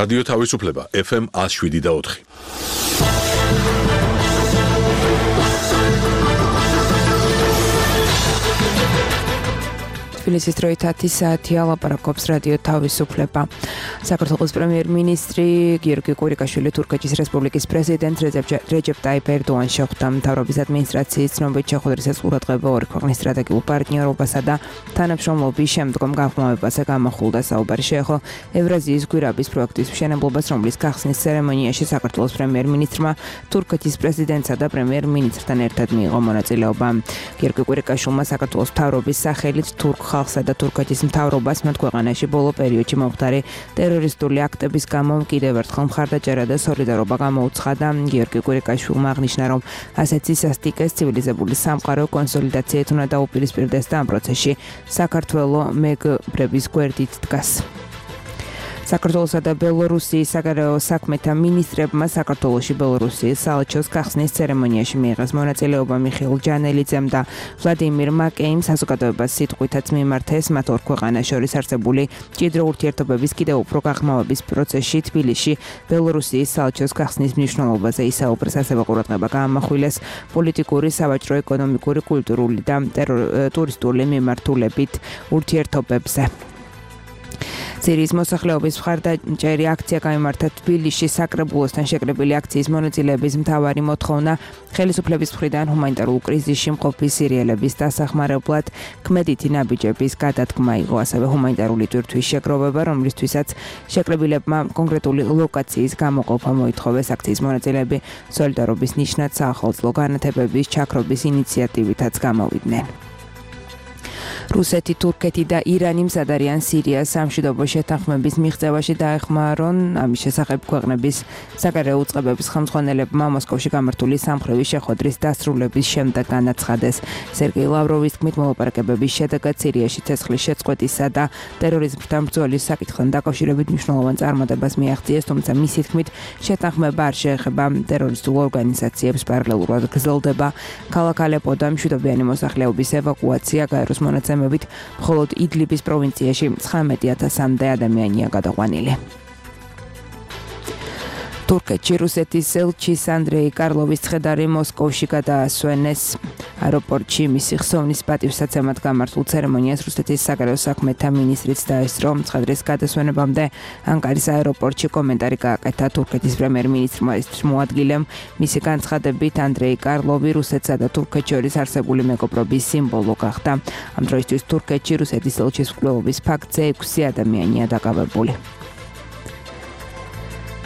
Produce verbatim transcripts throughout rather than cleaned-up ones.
რადიო თავისუფლება ეფ ემ one oh seven და four. თბილისის დროით ათი საათია ლაპარაკობს რადიო თავისუფლება. საქართველოს პრემიერ-მინისტრი გიორგი კვირიკაშვილი თურქეთის რესპუბლიკის პრეზიდენტ რეჯეპ ტაიპ ერდოღანს შეხვდა. მთავრობის ადმინისტრაციის ცნობით შეხვედრის ყურადღება ორი ქვეყნის სტრატეგიულ პარტნიორობასა და თანამშრომლობის შემდგომ გაღრმავებაზე გამახვილდა. საუბარი შეეხო ევრაზიის გვირაბის პროექტის მშენებლობას, რომლის გახსნის ცერემონიაში საქართველოს პრემიერ-მინისტრმა თურქეთის პრეზიდენტსა და პრემიერ-მინისტრთან ერთად მიიღო მონაწილეობა. გიორგი კვირიკაშვილმა საქართველოს მთავრობის სახელით თურქ ხალხსა და თურქეთის მთავრობას მათ ქვეყანაში ბოლო პერიოდში მომხდარი ტერორისტული აქტების გამო კიდევ ერთხელ მხარდაჭერა და სოლიდარობა გამოუცხადა. გიორგი კვირიკაშვილმა აღნიშნა, რომ ასეთ სისასტიკეს ცივილიზებული სამყარო კონსოლიდაციით უნდა დაუპირისპირდეს და ამ პროცესში საქართველოს მეგობრების გვერდით დგას. საქართველოსა და ბელორუსიის საგარეო საქმეთა მინისტრებმა საქართველოში ბელორუსიის საელჩოს გახსნის ცერემონიაში მიიღეს მონაწილეობა. მიხეილ ჯანელიძემ და ვლადიმირ მაკეიმ საზოგადოებას სიტყვითაც მიმართეს მათ ორ ქვეყანას შორის არსებული მჭიდრო ურთიერთობების კიდევ უფრო გაღრმავების პროცესში თბილისში ბელორუსიის საელჩოს გახსნის მნიშვნელობაზე ისაუბრეს. ასევე ყურადღება გაამახვილეს პოლიტიკური, სავაჭრო, ეკონომიკური, კულტურული და ტურისტული მიმართულებით ურთიერთობებზე. სირიის მოსახლეობის მხარდაჭერი აქცია გამართა თბილისში. საკრებულოსთან შეკრებილი აქციის მონაწილეების მთავარი მოთხოვნა ხელისუფლების მხრიდან ჰუმანიტარულ კრიზისში მყოფი სირიელების დასახმარებლად ქმედითი ნაბიჯების გადადგმა იყო. ასევე ჰუმანიტარული ტვირთვის შეგროვება, რომლისთვისაც შეკრებილებმა კონკრეტული ლოკაციის გამოყოფა მოითხოვეს. აქციის მონაწილეები სოლიდარობის ნიშნად საახალწლო განათებების ჩაქრობის ინიციატივითაც გამოვიდნენ. რუსეთი, თურქეთი და ირანი მზად არიან სირიას სამშვიდობო შეთანხმების მიღწევაში დაეხმარონ. ამის შესახებ ქვეყნების საგარეო უწყებების ხელმძღვანელებმა მოსკოვში გამართული სამხრივი შეხვედრის დასრულების შემდეგ განაცხადეს. სერგეი ლავროვის თქმით, მოლაპარაკებების შედეგად სირიაში ცეცხლის შეწყვეტისა და ტერორიზმთან ბრძოლის საკითხთან დაკავშირებით მნიშვნელოვან წარმატებას მიაღწიეს, თუმცა მისი თქმით, შეთანხმება არ შეეხება ტერორისტულ ორგანიზაციებს. პარალელურად გრძელდება ქალაქ ალეპოდან მშვიდობიანი მოსახლეობის ევაკუაცია. გაეროს მონაცემებით მხოლოდ იდლიბის პროვინციაში ცხრამეტი ათასამდე ადამიანია გადაყვანილი. თურქეთში რუსეთის ელჩის ანდრეი კარლოვის ცხედარი მოსკოვში გადაასვენეს. აეროპორტში მისი ხსოვნის პატივსაცემად გამართულ ცერემონიას რუსეთის საგარეო საქმეთა მინისტრიც დაესწრო. ცხედრის გადასვენებამდე ანკარის აეროპორტში კომენტარი გააკეთა თურქეთის პრემიერ-მინისტრმა. მოადგილემ მისი განცხადებით ანდრეი კარლოვი რუსეთსა და თურქეთს შორის არსებული მეგობრობის სიმბოლო გახდა. ამ დროისთვის თურქეთში რუსეთის ელჩის მკვლელობის ფაქტზე ექვსი ადამიანია დაკავებული.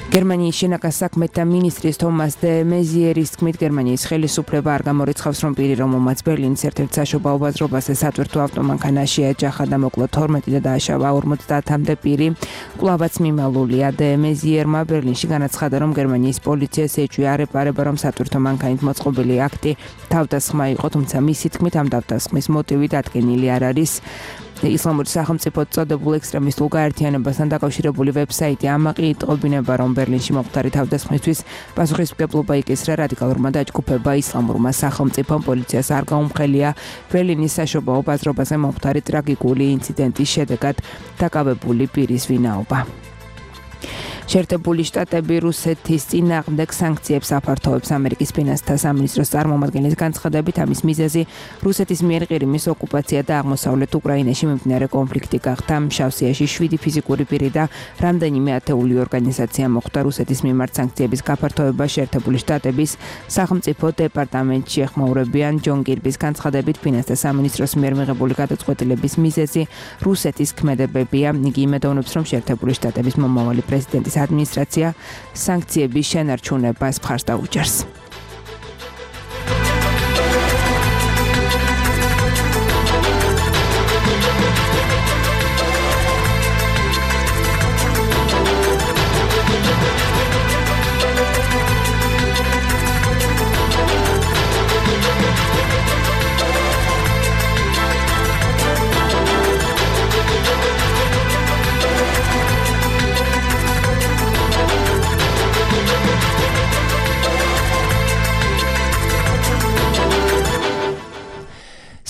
გერმანიის შინაგან საქმეთა მინისტრის თომას დე მეზიერის თქმით, გერმანიის ხელისუფლება არ გამორიცხავს, რომ პირი რომელმაც ბერლინის ერთ-ერთ საშობაო ბაზრობაზე სატვირთო ავტომანქანაში ეჯახა და მოკლა თორმეტი და დააშავა ორმოცდაათამდე პირი, კვლავაც მიმალულია. დე მეზიერმა ბერლინში განაცხადა, რომ გერმანიის პოლიციას ეჭვი არ ეპარება, რომ სატვირთო მანქანით მოწყობილი აქტი თავდასხმა იყო, თუმცა მისი თქმით, ამ თავდასხმის მოტივი დადგენილი არ არის. ისლამური სახელმწიფოდ წოდებულ ექსტრემისტულ გაერთიანებასთან დაკავშირებული ვებსაიტი ამაყი იტყობინება, რომ ბერლინში მომხდარი თავდასხმისთვის პასუხისმგებლობა იკისრა რადიკალურმა დაჯგუფება ისლამურმა სახელმწიფომ. პოლიციას არ გაუმხელია ბერლინის საშობაო ბაზრობაზე მომხდარი ტრაგიკული ინციდენტის შედეგად დაკავებული პირის ვინაობა. შეერთებული შტატები რუსეთის წინააღმდეგ სანქციებს აფართოვებს. ამერიკის ფინანსთა სამინისტროს წარმომადგენლის განცხადებით, ამის მიზეზი რუსეთის მიერ ყირიმის ოკუპაცია და აღმოსავლეთ უკრაინაში მიმდინარე კონფლიქტი გახდა. შავსიაში შვიდი ფიზიკური პირი და რამდენიმე ათეული ორგანიზაცია მოხვდა. რუსეთის მიმართ სანქციების გაფართოვება შეერთებული შტატების სახელმწიფო დეპარტამენტში ეხმაურებიან. ჯონ კირბის განცხადებით, ფინანსთა სამინისტროს მიერ მიღებული გადაწყვეტილების მიზეზი რუსეთის ქმედებებია. იგი იმედოვნებს, რომ შეერთებული შტატების მომავალი პრეზიდენტის ადმინისტრაცია სანქციების შენარჩუნებას მხარს დაუჭერს.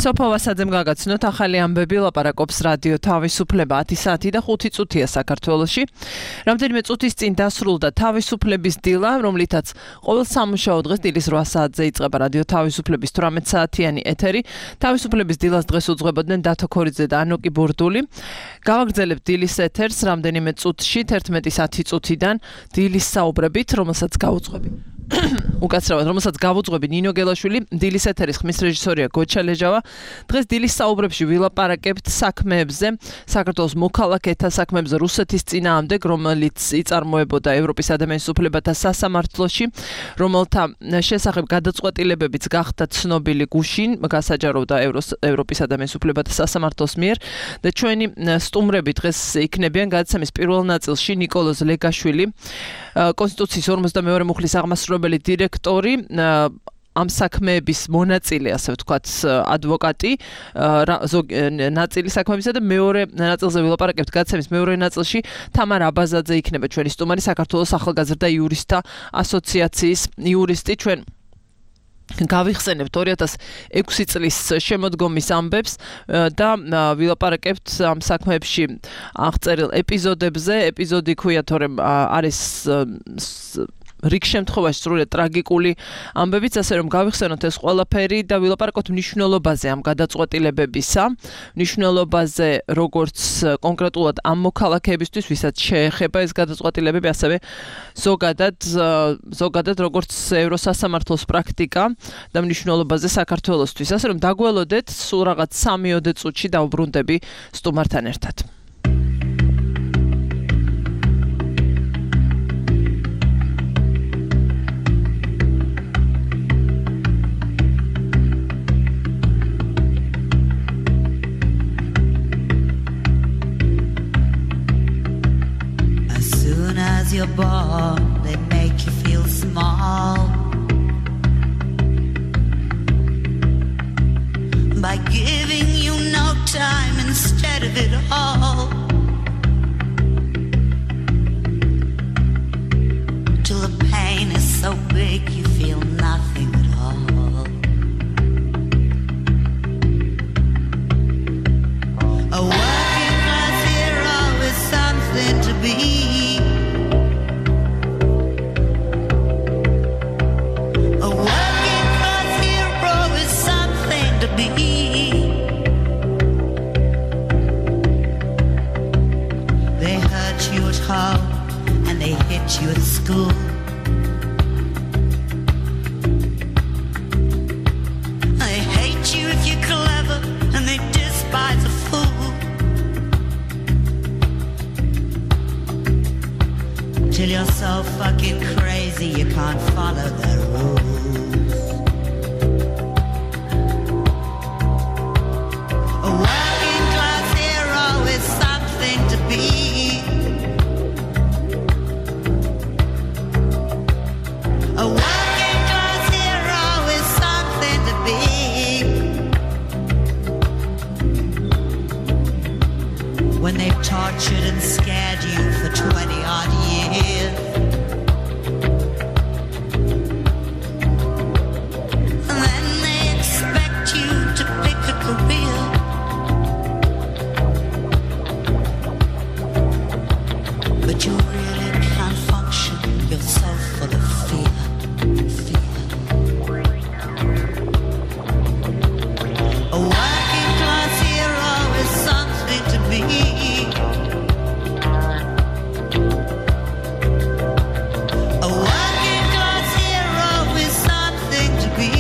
სოფო ვასაძემ გაგაცნოთ ახალი ამბები ლაპარაკობს რადიო თავისუფლება ათი საათი და ხუთი წუთია საქართველოში. რამდენიმე წუთის წინ დასრულდა თავისუფლების დილა, რომლითაც ყოველ სამუშაო დღეს დილის რვა საათზე იწყება რადიო თავისუფლების თვრამეტ საათიანი ეთერი. თავისუფლების დილას დღეს უძღვებოდნენ დათო ქორიძე და ანოკი ბურდული. გავაგრძელებთ დილის ეთერს რამდენიმე წუთში თერთმეტის ათი წუთიდან დილის საუბრებით, რომელსაც გავუძღვები. უკაცრავად, რომელსაც გავუძღვები ნინო გელაშვილი, დილის ეთერის ხმის რეჟისორია გოჩა ლეჟავა. დღეს დილის საუბრებში ვილაპარაკებთ საქმეებზე, საქართველოს მოქალაქეთა საქმეებზე რუსეთის წინააღმდეგ, რომელიც იწარმოებოდა ევროპის ადამიანის უფლებათა სასამართლოში, რომელთა შესახებ გადაწყვეტილებებიც გახდა ცნობილი გუშინ, გასაჯაროვდა ევროპის ადამიანის უფლებათა სასამართლოს მიერ და ჩვენი სტუმრები დღეს იქნებიან გადაცემის პირველ ნაწილში ნიკოლოზ ლეგაშვილი, კონსტიტუციის ორმოცდამეორე მუხლის აღმასრულებელი დირექტორი, ამ საქმეების მონაწილე, ასე ვთქვათ, ადვოკატი, ნაწილი საქმეებისა და მეორე ნაწილზე ვილაპარაკებთ გადაცემის მეორე ნაწილში თამარ აბაზაძე იქნება ჩვენი სტუმარი, საქართველოს ახალგაზრდა იურისტთა ასოციაციის იურისტი. ჩვენ გავიხსენებთ ორი ათას ექვსი წლის შემოდგომის ამბებს და ვილაპარაკებთ ამ საქმეებში აღწერილ ეპიზოდებზე. ეპიზოდი ქვია, თორემ არის რიგ შემთხვევაში სრულიად ტრაგიკული ამბებიც, ასე რომ გავიხსენოთ ეს ყველაფერი და ვილაპარაკოთ მნიშვნელობაზე ამ გადაწყვეტილებებისა, მნიშვნელობაზე როგორც კონკრეტულად ამ მოქალაქეებისთვის, ვისაც შეეხება ეს გადაწყვეტილებები, ასევე ზოგადად ზოგადად როგორც ევროსასამართლოს პრაქტიკა და მნიშვნელობაზე საქართველოსთვის. ასე რომ დაგველოდეთ, სულ რაღაც სამიოდე წუთში დავბრუნდები სტუმართან ერთად. As you're born, they make you feel small by giving you no time instead of it all, till the pain is so big you feel nothing at all. A working class hero is something to be. They hurt you at home and they hit you at school. They hate you if you're clever and they despise a fool, till you're so fucking crazy you can't follow their rules. A working class hero is something to be. A working class hero is something to be. When they've tortured and scared you for twenty odd years, and then they expect you to pick a career. But you really can't function, you're so full of fear, fear. A working class hero is something to be. A working class hero is something to be.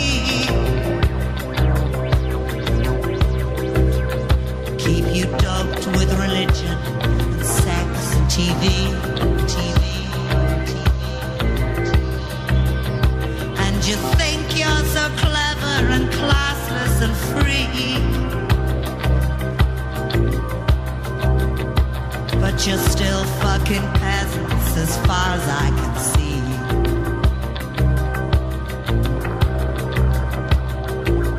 Keep you doped with religion, sex, T V, T V, T V. And you think you're so clever and classless and free, but you're still fucking peasants as far as I can see.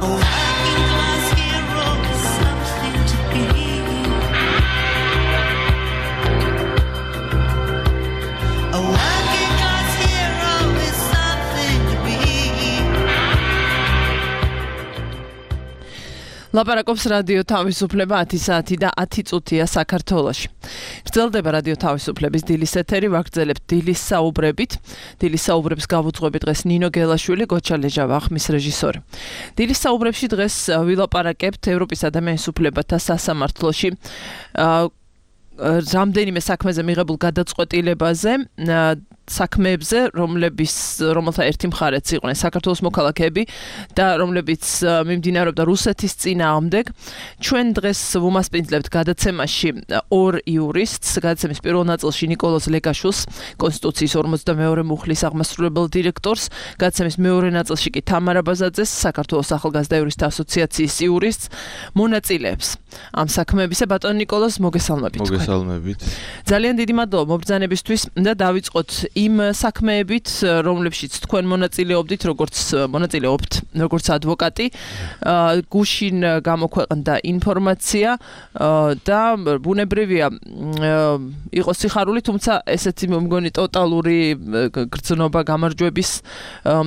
A working class hero is something to be. A working class hero is something to be. ლაპარაკობს რადიო თავისუფლება ათი საათი და ათი წუთია საქართველოში. გრძელდება რადიო თავისუფლების დილის ეთერი, ვაგრძელებთ დილის საუბრებით. დილის საუბრებს გავუძღვები დღეს ნინო გელაშვილი, გოჩა ლეჟავა, ხმის რეჟისორი. დილის საუბრებში დღეს ვილაპარაკებთ ევროპის ადამიანის უფლებათა სასამართლოში რამდენიმე საქმეზე მიღებულ გადაწყვეტილებაზე, საქმეებზე, რომლების რომელთა ერთი მხარეც იყვნენ საქართველოს მოქალაქეები და რომლებიც მიმდინარეობდა რუსეთის წინააღმდეგ. ჩვენ დღეს ვუმასპინძლებთ გადაცემაში ორ იურისტს, გადაცემის პირველ ნაწილში ნიკოლოზ ლეგაშვილს, კონსტიტუციის ორმოცდამეორე მუხლის აღმასრულებელ დირექტორს, გადაცემის მეორე ნაწილში კი თამარა ბაზაძეს, საქართველოს ახალგაზრდა იურისტთა ასოციაციის იურისტს, მონაწილეებს ამ საქმეებისა. ბატონ ნიკოლოზ, მოგესალმებით. მოგესალმებით. ძალიან დიდი მადლობა მობრძანებისთვის და დავიწყოთ იმ საქმეებით, რომლებშიც თქვენ მონაწილეობდით, როგორც მონაწილეობთ, როგორც ადვოკატი, გუშინ გამოქვეყნდა ინფორმაცია და ბუნებრივია იყო სიხარული, თუმცა ესეთი მგონი ტოტალური გრძნობა გამარჯვების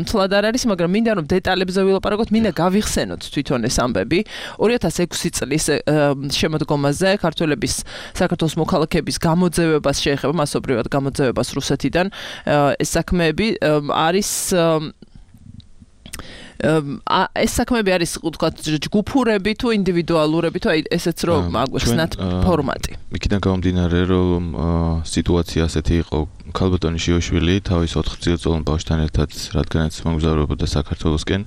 მთლად არ არის, მაგრამ მინდა რომ დეტალებზე ვილაპარაკოთ, მინდა გავიხსენოთ თვითონ ეს ამბები. ორი ათას ექვსი წლის შემოდგომაზე ქართველების საქართველოს მოქალაქეების გამოძევებას შეეხება, მასობრივად გამოძევებას რუსეთიდან. ეს საქმეები არის ეს საქმეები არის ვთქვათ ჯგუფურები თუ ინდივიდუალურები თუ აი ესეც რომ აგვიხსნათ ფორმატი. იქიდან გამომდინარე რომ სიტუაცია ასეთი იყო, ქალბატონი შიოშვილი თავის ოთხ წელწლოვან ბავშვთან ერთად რადგანაც მომგზავრებოდა საქართველოსკენ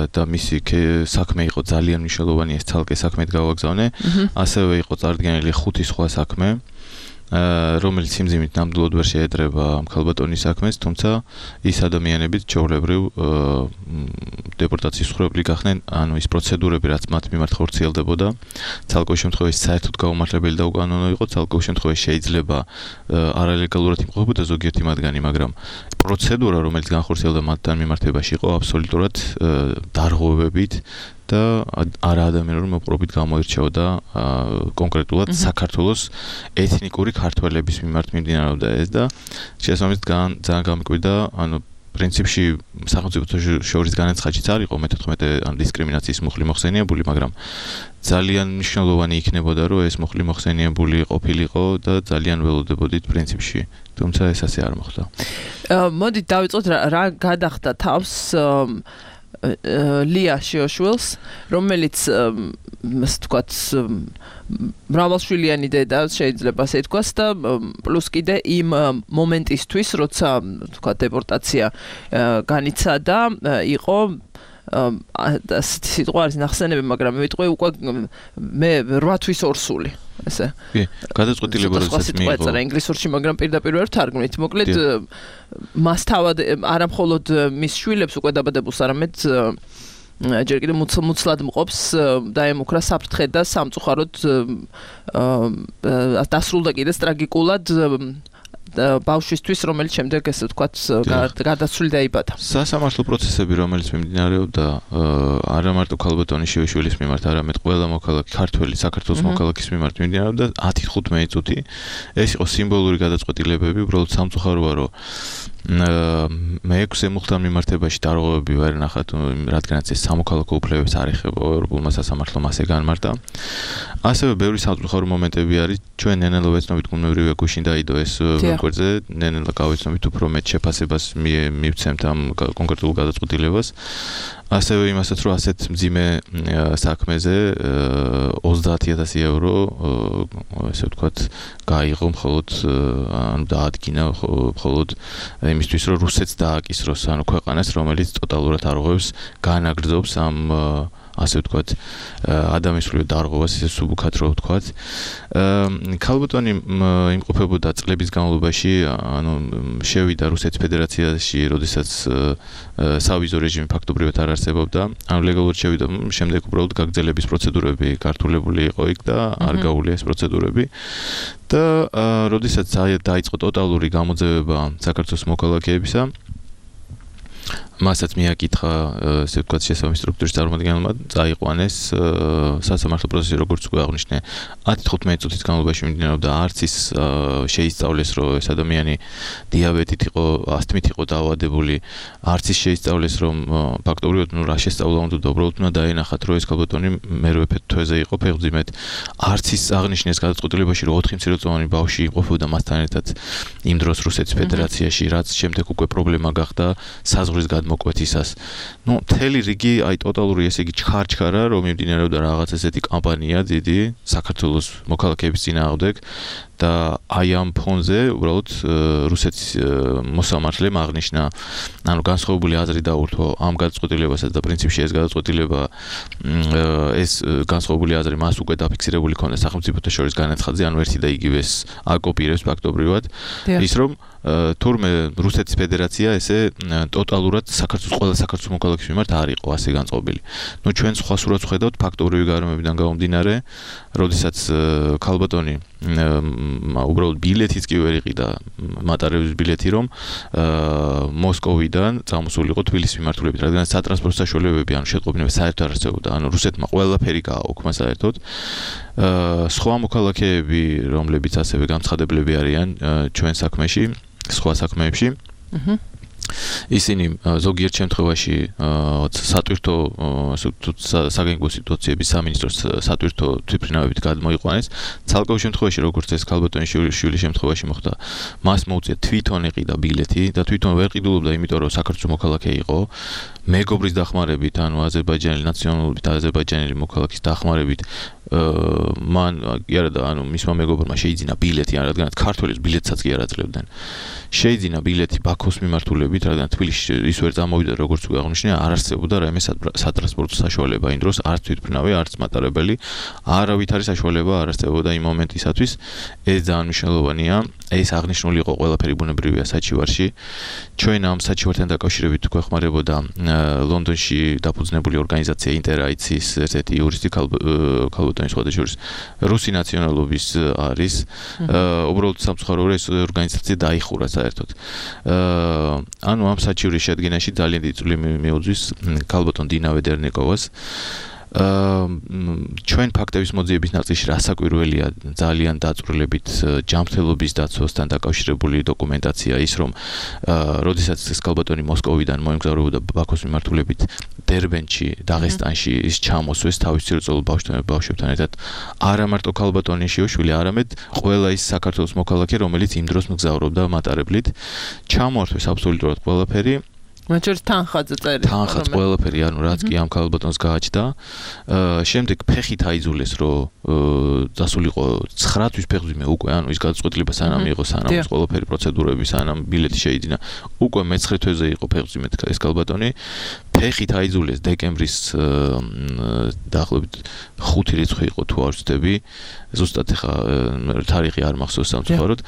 და მისი საქმე იყო ძალიან მნიშვნელოვანი, ეს ცალკე საქმედ გავაგზავნე, ასევე იყო წარდგენილი ხუთი სხვა საქმე, რომელიც სიმძიმით ნამდვილად ვერ შეედრება ამ ქალბატონის საქმეს, თუმცა ის ადამიანებიც ჩვეულებრივ დეპორტაციის მსხვერპლი გახდნენ, ანუ ის პროცედურები, რაც მათ მიმართ ხორციელდებოდა, ცალკეულ შემთხვევაში საერთოდ გაუმართლებელი და უკანონო იყო, ცალკეულ შემთხვევაში შეიძლება არალეგალურად იმყოფებოდა ზოგიერთი მათგანი, მაგრამ პროცედურა, რომელიც განხორციელდა მათთან მიმართებაში, იყო აბსოლუტურად დარღვევებით და არა ადამიანური მოპყრობით გამოირჩეოდა კონკრეტულად საქართველოს ეთნიკური ქართველების მიმართ მიმდინარეობდა ეს და შესაბამისად ძალიან გამიკვირდა, ანუ პრინციპში სახელმწიფოთა შორის განაცხადიც არ იყო მეთერთმეტე ან დისკრიმინაციის მუხლი მოხსენიებული, მაგრამ ძალიან მნიშვნელოვანი იქნებოდა, რომ ეს მუხლი მოხსენიებული ყოფილიყო და ძალიან ველოდებოდით პრინციპში, თუმცა ეს ასე არ მოხდა. მოდით დავიწყოთ რა გადახდა თავს ლია შიოშვილს, რომელიც ასე ვთქვათ მრავალშვილიანი დედა შეიძლება ასე ითქვას და პლუს კიდე იმ მომენტისთვის, როცა ვთქვათ დეპორტაცია განიცადა, იყო სიტყვა არის ნახსენები, მაგრამ ვიტყვი უკვე მე რვა თვის ორსული. ესე. კი, გადაწყვეტილება როდესაც მიიღო. ეს ინგლისურში, მაგრამ პირდაპირ ვერ თარგმნით. მოკლედ მას თავად არა მხოლოდ მის შვილებს უკვე დაბადებულს, არამედ ჯერ კიდევ მუცლად მყოფს დაემუქრა საფრთხე და სამწუხაროდ დასრულდა კიდეც ტრაგიკულად ბავშვისთვის, რომელიც შემდეგ ესე ვთქვათ გარდაცვლილი დაიბადა. სასამართლო პროცესები, რომელიც მიმდინარეობდა არა მარტო ქალბატონის შიოშვილის მიმართ, არამედ ყველა მოქალაქე ქართველი საქართველოს მოქალაქის მიმართ მიმდინარეობდა ათი თხუთმეტი წუთი. ეს იყო სიმბოლური გადაწყვეტილებები, უბრალოდ სამწუხაროა, რომ მეექვსე მუხლთან მიმართებაში დარღვევები ვერ ნახათ, რადგანაც ეს სამოქალაქო უფლებებს არ ეხება ევროპულმა სასამართლომ ასე განმარტა. ასევე ბევრი სამწუხარო მომენტები არის, ჩვენ ნენელა ვეცნობით გუნებრივია გუშინ დაიდო ეს ვეკვერძე, ნენელა გავეცნობით უფრო მეტ შეფასებას მივცემთ ამ კონკრეტულ გადაწყვეტილებას. ასევე იმასაც, რომ ასეთ მძიმე საქმეზე ოცდაათი ათასი ევრო ესე ვთქვათ გაიღო მხოლოდ ანუ დაადგინა მხოლოდ იმისთვის, რომ რუსეთს დააკისროს, ანუ ქვეყანას, რომელიც ტოტალურად არღვევს, განაგრძობს ამ ასე ვთქვათ ადამიანის დარღვევას, ესე სუბუქად რო ვთქვათ. ქალბატონი იმყოფებოდა წლების განმავლობაში, ანუ შევიდა რუსეთის ფედერაციაში, როდესაც სავიზო რეჟიმი ფაქტობრივად არ არსებობდა, ანუ ლეგალურად შევიდა, შემდეგ უბრალოდ გაგრძელების პროცედურები გართულებული იყო იქ და არ გაუვლია ეს პროცედურები. და როდესაც დაიწყო ტოტალური გამოძევება საქართველოს მოქალაქეებისა, მასაც მიაკითხა ესე ვთქვათ შესაბამის სტრუქტურის წარმომადგენელმა წაიყვანეს სასამართლო პროცესი როგორც უკვე აღნიშნე ათი თხუთმეტი წუთის განმავლობაში მიმდინარეობდა არც ის შეისწავლეს რომ ეს ადამიანი დიაბეტით იყო ასთმით იყო დაავადებული არც ის შეისწავლეს რომ ფაქტობრივად ნუ რა შესწავლა უნდა და უბრალოდ უნდა დაენახათ რომ ეს ქალბატონი მერვე თვეზე იყო ფეხმძიმედ არც ის აღნიშნეს გადაწყვეტილებაში რომ ოთხი მცირეწლოვანი ბავშვი იმყოფებოდა მასთან ერთად იმ დროს რუსეთის ფედერაციაში რაც შემდეგ უკვე პრობლემა გახდა საზღვრის გადმოკვეთისას. ნუ მთელი რიგი აი ტოტალური ესე იგი ჩხარ-ჩხარა რომ მიმდინარეობდა რაღაც ესეთი კამპანია დიდი საქართველოს მოქალაქეების წინააღმდეგ და აი ამ ფონზე უბრალოდ რუსეთის მოსამართლემ აღნიშნა ანუ განსხვავებული აზრი დაურთო ამ გადაწყვეტილებასაც და პრინციპში ეს გადაწყვეტილება ეს განსხვავებული აზრი მას უკვე დაფიქსირებული ქონდა სახელმწიფოთა შორის განაცხადზე ანუ ერთი და იგივეს აკოპირებს ფაქტობრივად ის რომ თურმე რუსეთის ფედერაცია ესე ტოტალურად საქართველოს ყველა საქართველოს მოქალაქის მიმართ არ იყო ასე განწყობილი. ნუ ჩვენ სხვა სურათს ვხედავთ ფაქტობრივი გარემოებიდან გამომდინარე, როდესაც ქალბატონი უბრალოდ ბილეთიც კი ვერ იყიდა მატარების ბილეთი რომ მოსკოვიდან წამოსულიყო თბილისის მიმართულებით, რადგან სატრანსპორტო საშუალებები ანუ შეტყობინება საერთოდ არ არსებობდა. ანუ რუსეთმა ყველაფერი გააუქმა საერთოდ. სხვა მოქალაქეები, რომლებიც ასევე გამცხადებლები არიან ჩვენ საქმეში, სხვა საქმეებში. აჰა ისინი ზოგიერთ შემთხვევაში სატვირთო საგანგებო სიტუაციების სამინისტროს სატვირთო თვითმფრინავებით გადმოიყვანეს. ცალკეულ შემთხვევაში როგორც ეს ქალბატონის შვილის შემთხვევაში მოხდა, მას მოუწია თვითონ ეყიდა ბილეთი და თვითონ ვერ ყიდულობდა, იმიტომ რომ საქართველოს მოქალაქე იყო. მეგობრის დახმარებით, ანუ აზერბაიჯანელი ნაციონალობით აზერბაიჯანელი მოქალაქის დახმარებით მან იარა და ანუ მისმა მეგობრმა შეიძინა ბილეთი, რადგან ქართველებს ბილეთსაც კი არ აძლევდნენ. შეიძინა ბილეთი ბაქოს მიმართულებით, რადგან თბილისში ის ვერ წამოვიდა, როგორც უკვე აღნიშნე, არ არსებობდა რაიმე სატრანსპორტო საშუალება იმ დროს, არც თვითმფრინავი, არც მატარებელი, არავითარი საშუალება არ არსებობდა იმ მომენტისათვის. ეს ძალიან მნიშვნელოვანია. ეს აღნიშნული იყო ყველაფერი ბუნებრივია საჩივარში. ჩვენ ამ საჩივართან დაკავშირებით გვეხმარებოდა ლონდონში დაფუძნებული ორგანიზაცია ინტერაიცის ერთ-ერთი იურისტი ქალბატონის სხვადასხვა რუსი ნაციონალობის არის. უბრალოდ სამწუხაროდ ეს ორგანიზაცია დაიხურა საერთოდ. ანუ ამ საჩივრის შედგენაში ძალიან დიდი წვლილი მიუძღვის ქალბატონ დინა ვედერნიკოვას. ჩვენ ფაქტების მოძიების ნაწილში რასაკვირველია ძალიან დაწვრილებით ჯანმრთელობის დაცვასთან დაკავშირებული დოკუმენტაცია ის რომ როდესაც ეს ქალბატონი მოსკოვიდან მოემგზავრებოდა ბაქოს მიმართულებით დერბენში, დაღესტანში ის ჩამოსვეს თავის ცირწოლ ბავშვებთან ერთად არა მარტო ქალბატონი შეუშვილი, არამედ ყველა ის საქართველოს მოქალაქე, რომელიც იმ დროს მგზავრობდა მატარებლით, ჩამოართვეს აბსოლუტურად ყველაფერი. მათ შორის თანხაძე წერია. თანხაც ყველაფერი, ანუ რაც კი ამ ქალბატონს გააჩნდა. შემდეგ ფეხით აიძულეს, რომ დასულიყო ცხრა თვის ფეხმძიმე უკვე, ანუ ის გადაწყვეტილება სანამ იყო, სანამ ეს ყველაფერი პროცედურები, სანამ ბილეთი შეიძინა, უკვე მეცხრე თვეზე იყო ფეხმძიმედ ეს ქალბატონი. ფეხით აიძულეს დეკემბრის დაახლოებით ხუთი რიცხვი იყო თუ არ ვცდები. ზუსტად ეხა თარიღი არ მახსოვს სამწუხაროდ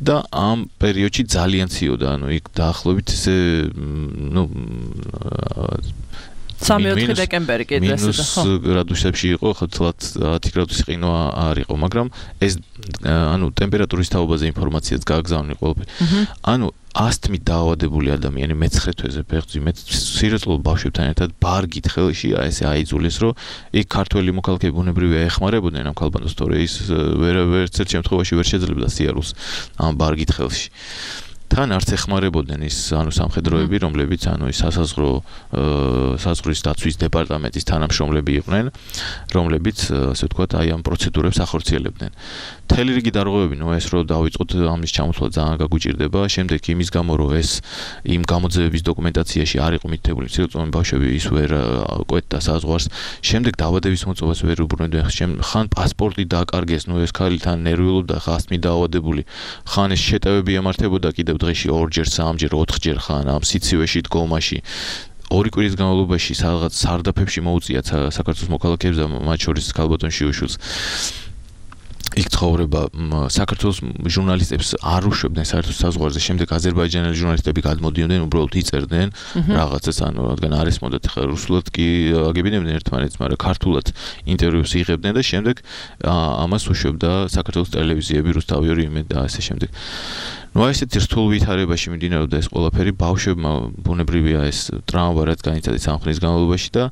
და ამ პერიოდში ძალიან ციოდა, ანუ იქ დაახლოებით ესე ну სამი-ოთხი დეკემბერი კიდე ესე და ხო გრადუსებში იყო, ხო თლათ ათი გრადუსი ყინვა არ იყო, მაგრამ ეს ანუ ტემპერატურის თაობაზე ინფორმაციაც გააგზავნი ყველაფერი. ანუ ასთმით დაავადებული ადამიანი მეცხრე თვეზე ფეხმძიმედ სირწლოვ ბავშვებთან ერთად ბარგით ხელში ესე აიძულეს, რომ იქ ქართველი მოქალაქეები ბუნებრივია ეხმარებოდნენ ამ ქალბატონს, თორე ის ვერ ვერცერთ შემთხვევაში ვერ შეძლებდა სიარულს ამ ბარგით ხელში. თან არც ეხმარებოდნენ ის ანუ სამხედროები, რომლებიც ანუ ის სასაზღვრო საზღვრის დაცვის დეპარტამენტის თანამშრომლები იყვნენ, რომლებიც ასე ვთქვათ, აი ამ პროცედურებს ახორციელებდნენ. მთელი რიგი დარღვევები, ნუ ეს რომ დავიწყოთ ამის ჩამოთვლა ძალიან გაგუჭირდება, შემდეგ იმის გამო რომ ეს იმ გამოძიების დოკუმენტაციაში არ იყო მითითებული ცირწლოვანი ბავშვები ის ვერ კვეთდა საზღვარს, შემდეგ დაავადების მოწმობას ვერ უბრუნებდნენ, ხან პასპორტი დააკარგეს, ნუ ეს ქალი თან ნერვიულობდა, ხან ასთმით დაავადებული, ხან ეს შეტევები ემართებოდა კიდევ დღეში ორჯერ, სამჯერ, ოთხჯერ ხან ამ სიცივეში დგომაში. ორი კვირის განმავლობაში რაღაც სარდაფებში მოუწიათ საქართველოს მოქალაქეებს და მათ შორის ქალბატონ შიუშვილს. იქ ცხოვრება საქართველოს ჟურნალისტებს არ უშვებდნენ საერთოდ საზღვარზე, შემდეგ აზერბაიჯანელი ჟურნალისტები გადმოდიოდნენ, უბრალოდ იწერდნენ რაღაცას, ანუ რადგან არ ესმოდათ ხა რუსულად კი აგებინებდნენ ერთმანეთს, მაგრამ ქართულად ინტერვიუს იღებდნენ და შემდეგ ამას უშვებდა საქართველოს ტელევიზიები, რუსთავი ორი იმე და ასე შემდეგ. ну а ესეთი რთულ ვითარებაში მიმდინარეობდა ეს ყველაფერი ბავშვებმა ბუნებრივია ეს ტრაუმა რაც განიცადეთ სამხრის განმავლობაში და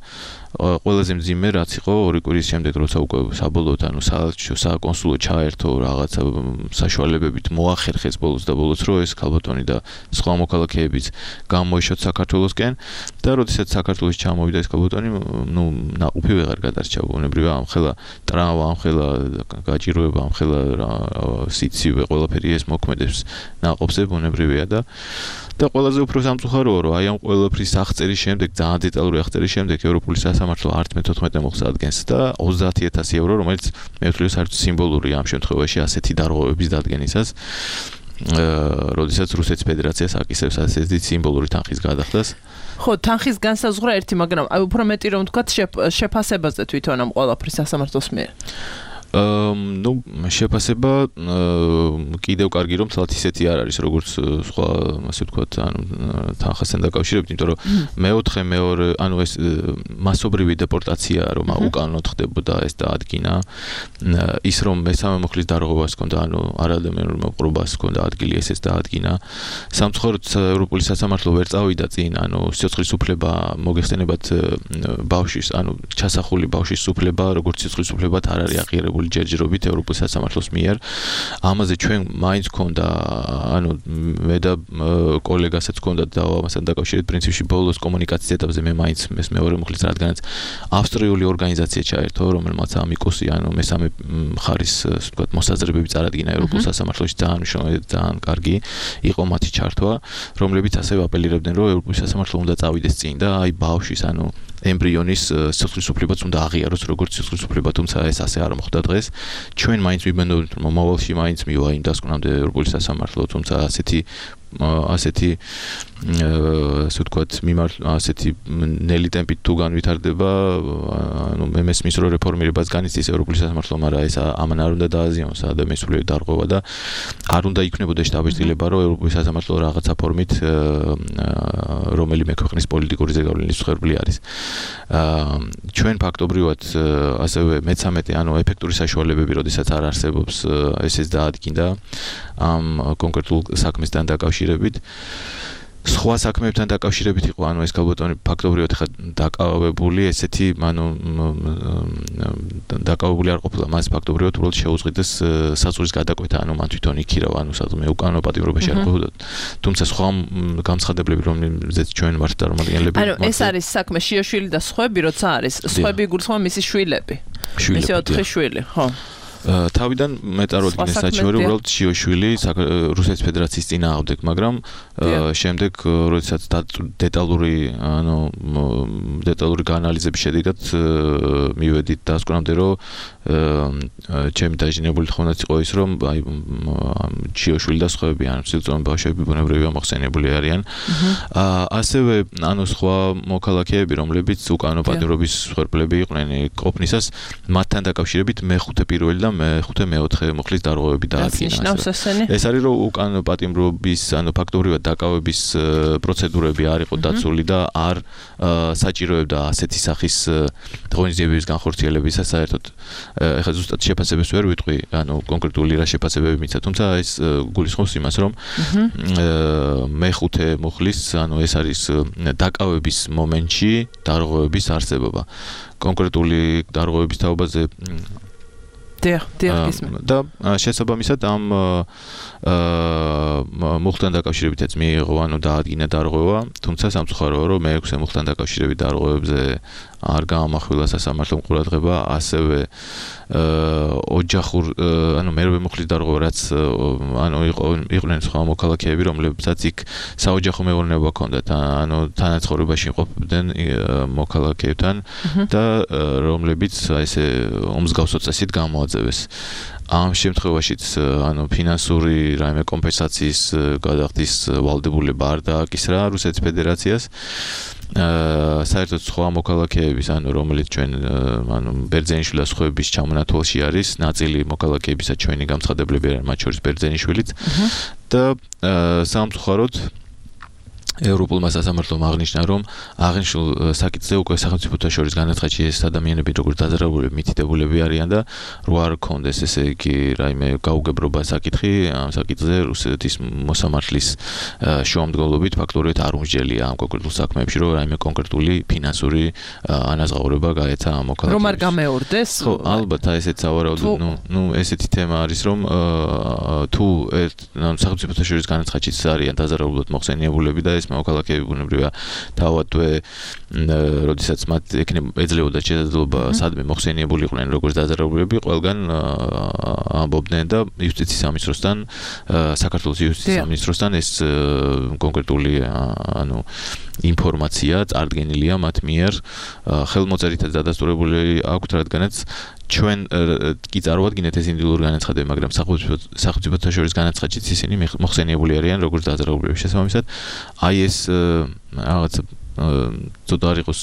ყველაზე მძიმე რაც იყო ორი კვირის შემდეგ როცა უკვე საბოლოოდ ანუ საელჩო საკონსულო ჩაერთო რაღაცა საშუალებებით მოახერხეს ბოლოს და ბოლოს რომ ეს ქალბატონი და სხვა მოქალაქეებიც გამოიშოთ საქართველოსკენ და როდესაც საქართველოს ჩამოვიდა ეს ქალბატონი ну ნაყოფი ვეღარ გადარჩა ბუნებრივია ამხელა ტრაუმა ამხელა გაჭიროება ამხელა სიცივე ყველაფერი ეს მოქმედებს ნაყოფზე ბუნებრივია და და ყველაზე უფრო სამწუხაროა რომ აი ამ ყველაფრის აღწერის შემდეგ ძალიან დეტალური აღწერის შემდეგ ევროპული სასამართლო არც მეთოთხმეტე მოხდა ადგენს და ოცდაათი ათასი евро რომელიც მე ვთვლი საერთოდ სიმბოლურია ამ შემთხვევაში ასეთი დარღვევების დადგენისას როდესაც რუსეთის ფედერაციას აკისრებს ასეთი სიმბოლური თანხის გადახდას ხო თანხის განსაზღვრა ერთი მაგრამ აი უფრო მეტი რომ ვთქვათ შეფასებაზე თვითონ ამ ყველაფრის სასამართლოს მიერ ну შეფასება კიდევ კარგი რომ თლათ ისეთი არ არის როგორც სხვა ასე ვთქვათ ანუ თანხასთან დაკავშირებით იმიტომ რომ მეოთხე მეორე ანუ ეს მასობრივი დეპორტაცია რომ უკანონოდ ხდებოდა ეს დაადგინა ის რომ მესამე მოხლის დარღვევას ჰქონდა ანუ არადამიანურ მოპყრობას ჰქონდა ადგილი ესეც დაადგინა სამწუხაროდ ევროპული სასამართლო ვერ წავიდა წინ ანუ სიცოცხლის უფლება მოგეხსენებათ ბავშვის ანუ ჩასახული ბავშვის უფლება როგორც სიცოცხლის უფლებად არ არის აღიარებული ჯერჯერობით ევროპულ სასამართლოს მიერ ამაზე ჩვენ მაინც გქონდა ანუ მე და კოლეგასაც გქონდა დავამასთან დაკავშირებით პრინციპში ბოლოს კომუნიკაციის ეტაპზე მე მაინც ეს მეორე მხრივ რადგანაც ავსტრიული ორგანიზაცია ჩაერთო რომელმაც ამიკოსი ანუ მესამე მხარის ასე ვთქვათ მოსაზრებები წარადგინა ევროპულ სასამართლოში ძალიან მნიშვნელოვანი ძალიან კარგი იყო მათი ჩართვა რომლებიც ასევე აპელირებდნენ რომ ევროპულ სასამართლო უნდა წავიდეს წინ და აი ბავშვის ანუ ემბრიონის სიცოცხლის უფლებაც უნდა აღიაროს როგორც სიცოცხლის უფლება თუმცა ეს ასე არ მოხდა დღეს ჩვენ მაინც ვიბენდობთ რომ მომავალში მაინც მივა იმ დასკვნამდე ევროპული სასამართლო თუმცა ასეთი ასეთი ასე ვთქვათ მიმართ ასეთი ნელი ტემპით თუ განვითარდება ანუ მე მესმის რომ რეფორმირებას განიცდის ევროპული სასამართლო მაგრამ ეს ამან არ უნდა დააზიანოს ადამიანის სულიერი დარღვევა და არ უნდა იქნებოდეს დაბეჭდილება რომ ევროპული სასამართლო რაღაცა ფორმით რომელიმე ქვეყნის პოლიტიკური ზეგავლენის მსხვერპლი არის ჩვენ ფაქტობრივად ასევე მეცამეტე ანუ ეფექტური საშუალებები როდესაც არ არსებობს ესეც დაადგინდა ამ კონკრეტულ საქმესთან დაკავშირებით სხვა საქმეებთან დაკავშირებით იყო ანუ ეს ქალბატონი ფაქტობრივად ხა დაკავებული ესეთი ანუ დაკავებული არ ყოფილა მას ფაქტობრივად უბრალოდ შეუძღიდეს საზღვრის გადაკვეთა ანუ მან თვითონ იქირავა ანუ საზღვრის უკანონო პატიმრობაში არ ყოფილა თუმცა სხვა გამცხადებლები რომელზეც ჩვენ ვართ წარმომადგენლები ანუ ეს არის საქმე შიოშვილი და სხვები როცა არის სხვები გულისხმობა მისი შვილები მისი ოთხი შვილი ხო თავიდან მეტაროდგინეს საჩივარი უბრალოდ შიოშვილი რუსეთის ფედერაციის წინააღმდეგ, მაგრამ შემდეგ როდესაც დეტალური ანუ დეტალური გაანალიზების შედეგად მივედით დასკვნამდე რომ ჩემი დაჟინებული თხოვნაც იყო ის რომ აი შიოშვილი და სხვაები ან სიძულოვანი ბავშვები ბუნებრივია მოხსენებული არიან ასევე ანუ სხვა მოქალაქეები რომლებიც უკანონო პატიმრობის მსხვერპლები იყვნენ ყოფნისას მათთან დაკავშირებით მეხუთე პირველი და მეხუთე მეოთხე მოხლის დარღვევები დაადგინა. ეს არის რომ უკანონო პატიმრობის ანუ ფაქტობრივად დაკავების პროცედურები არ იყო დაცული და არ საჭიროებდა ასეთი სახის ღონისძიებების განხორციელებისა საერთოდ ეხლა ზუსტად შეფასებებს ვერ ვიტყვი, ანუ კონკრეტული რა შეფასებები მიცა, თუმცა ეს გულისხმობს იმას, რომ მეხუთე მოხლის, ანუ ეს არის დაკავების მომენტში დარღვევების არსებობა. კონკრეტული დარღვევების თაობაზე დიახ, დიახ ისმე. და შესაბამისად ამ მოხდან დაკავშირებითაც მიიღო, ანუ დაადგინა დარღვევა, თუმცა სამწუხაროა, რომ მეექვსე მოხდან დაკავშირებით დარღვევებზე არ გაამახვილა სასამართლო ყურადღება, ასევე ოჯახურ, ანუ მერვე მოხლის დარღვევა, რაც ანუ იყვნენ სხვა მოქალაქეები, რომლებსაც იქ საოჯახო მეურნეობა ჰქონდათ, ანუ თანაცხოვრებაში ყოფდნენ მოქალაქეებთან და რომლებიც ესე უმსგავსო წესით გამოაძევეს. ამ შემთხვევაშიც ანუ ფინანსური რაიმე კომპენსაციის გადახდის ვალდებულება არ დააკისრა რუსეთის ფედერაციას. საერთოდ სხვა მოქალაქეების, ანუ რომელიც ჩვენ ანუ ბერძენიშვილის სხვების ჩამონათვალში არის, ნაწილი მოქალაქეებისა ჩვენი გამცხადებლები არის, მათ შორის ბერძენიშვილიც და სამწუხაროდ ევროპულმა სასამართლომ აღნიშნა, რომ აღნიშნულ საკითხზე უკვე სახელმწიფოთა შორის განაცხადში ეს ადამიანები როგორც დაზარალებული მითითებულები არიან და რო არ კონდეს ესე იგი რაიმე გაუგებრობა საკითხი ამ საკითხზე რუსეთის მოსამართლის შუამდგომლობით ფაქტობრივად არ უმსჯელია ამ კონკრეტულ საქმეებში, რომ რაიმე კონკრეტული ფინანსური ანაზღაურება გაეცა ამ მოქალაქეებს. რომ არ გამეორდეს? ხო, ალბათ ესეც სავარაუდოდ, ნუ ნუ ესეთი თემა არის, რომ თუ ერთ სახელმწიფოთა შორის განაცხადშიც არიან დაზარალებლად მოხსენიებულები და ეს მოქალაქეები ბუნებრივია თავადვე როდესაც მათ ეძლეოდა შესაძლებლობა სადმე მოხსენიებულიყვნენ როგორც დაზარალებლები, ყველგან ამბობდნენ და იუსტიციის სამინისტროსთან საქართველოს იუსტიციის სამინისტროსთან ეს კონკრეტული ანუ ინფორმაცია წარდგენილია მათ მიერ ხელმოწერითაც დადასტურებული აქვთ, რადგანაც ჩვენ კი წარვადგინეთ ეს ინდივიდუალური განაცხადები, მაგრამ სახელმწიფოთა შორის განაცხადშიც ისინი მოხსენიებული არიან როგორც დაზარალებლების შესაბამისად. აი ეს რაღაც ცოტა არ იყოს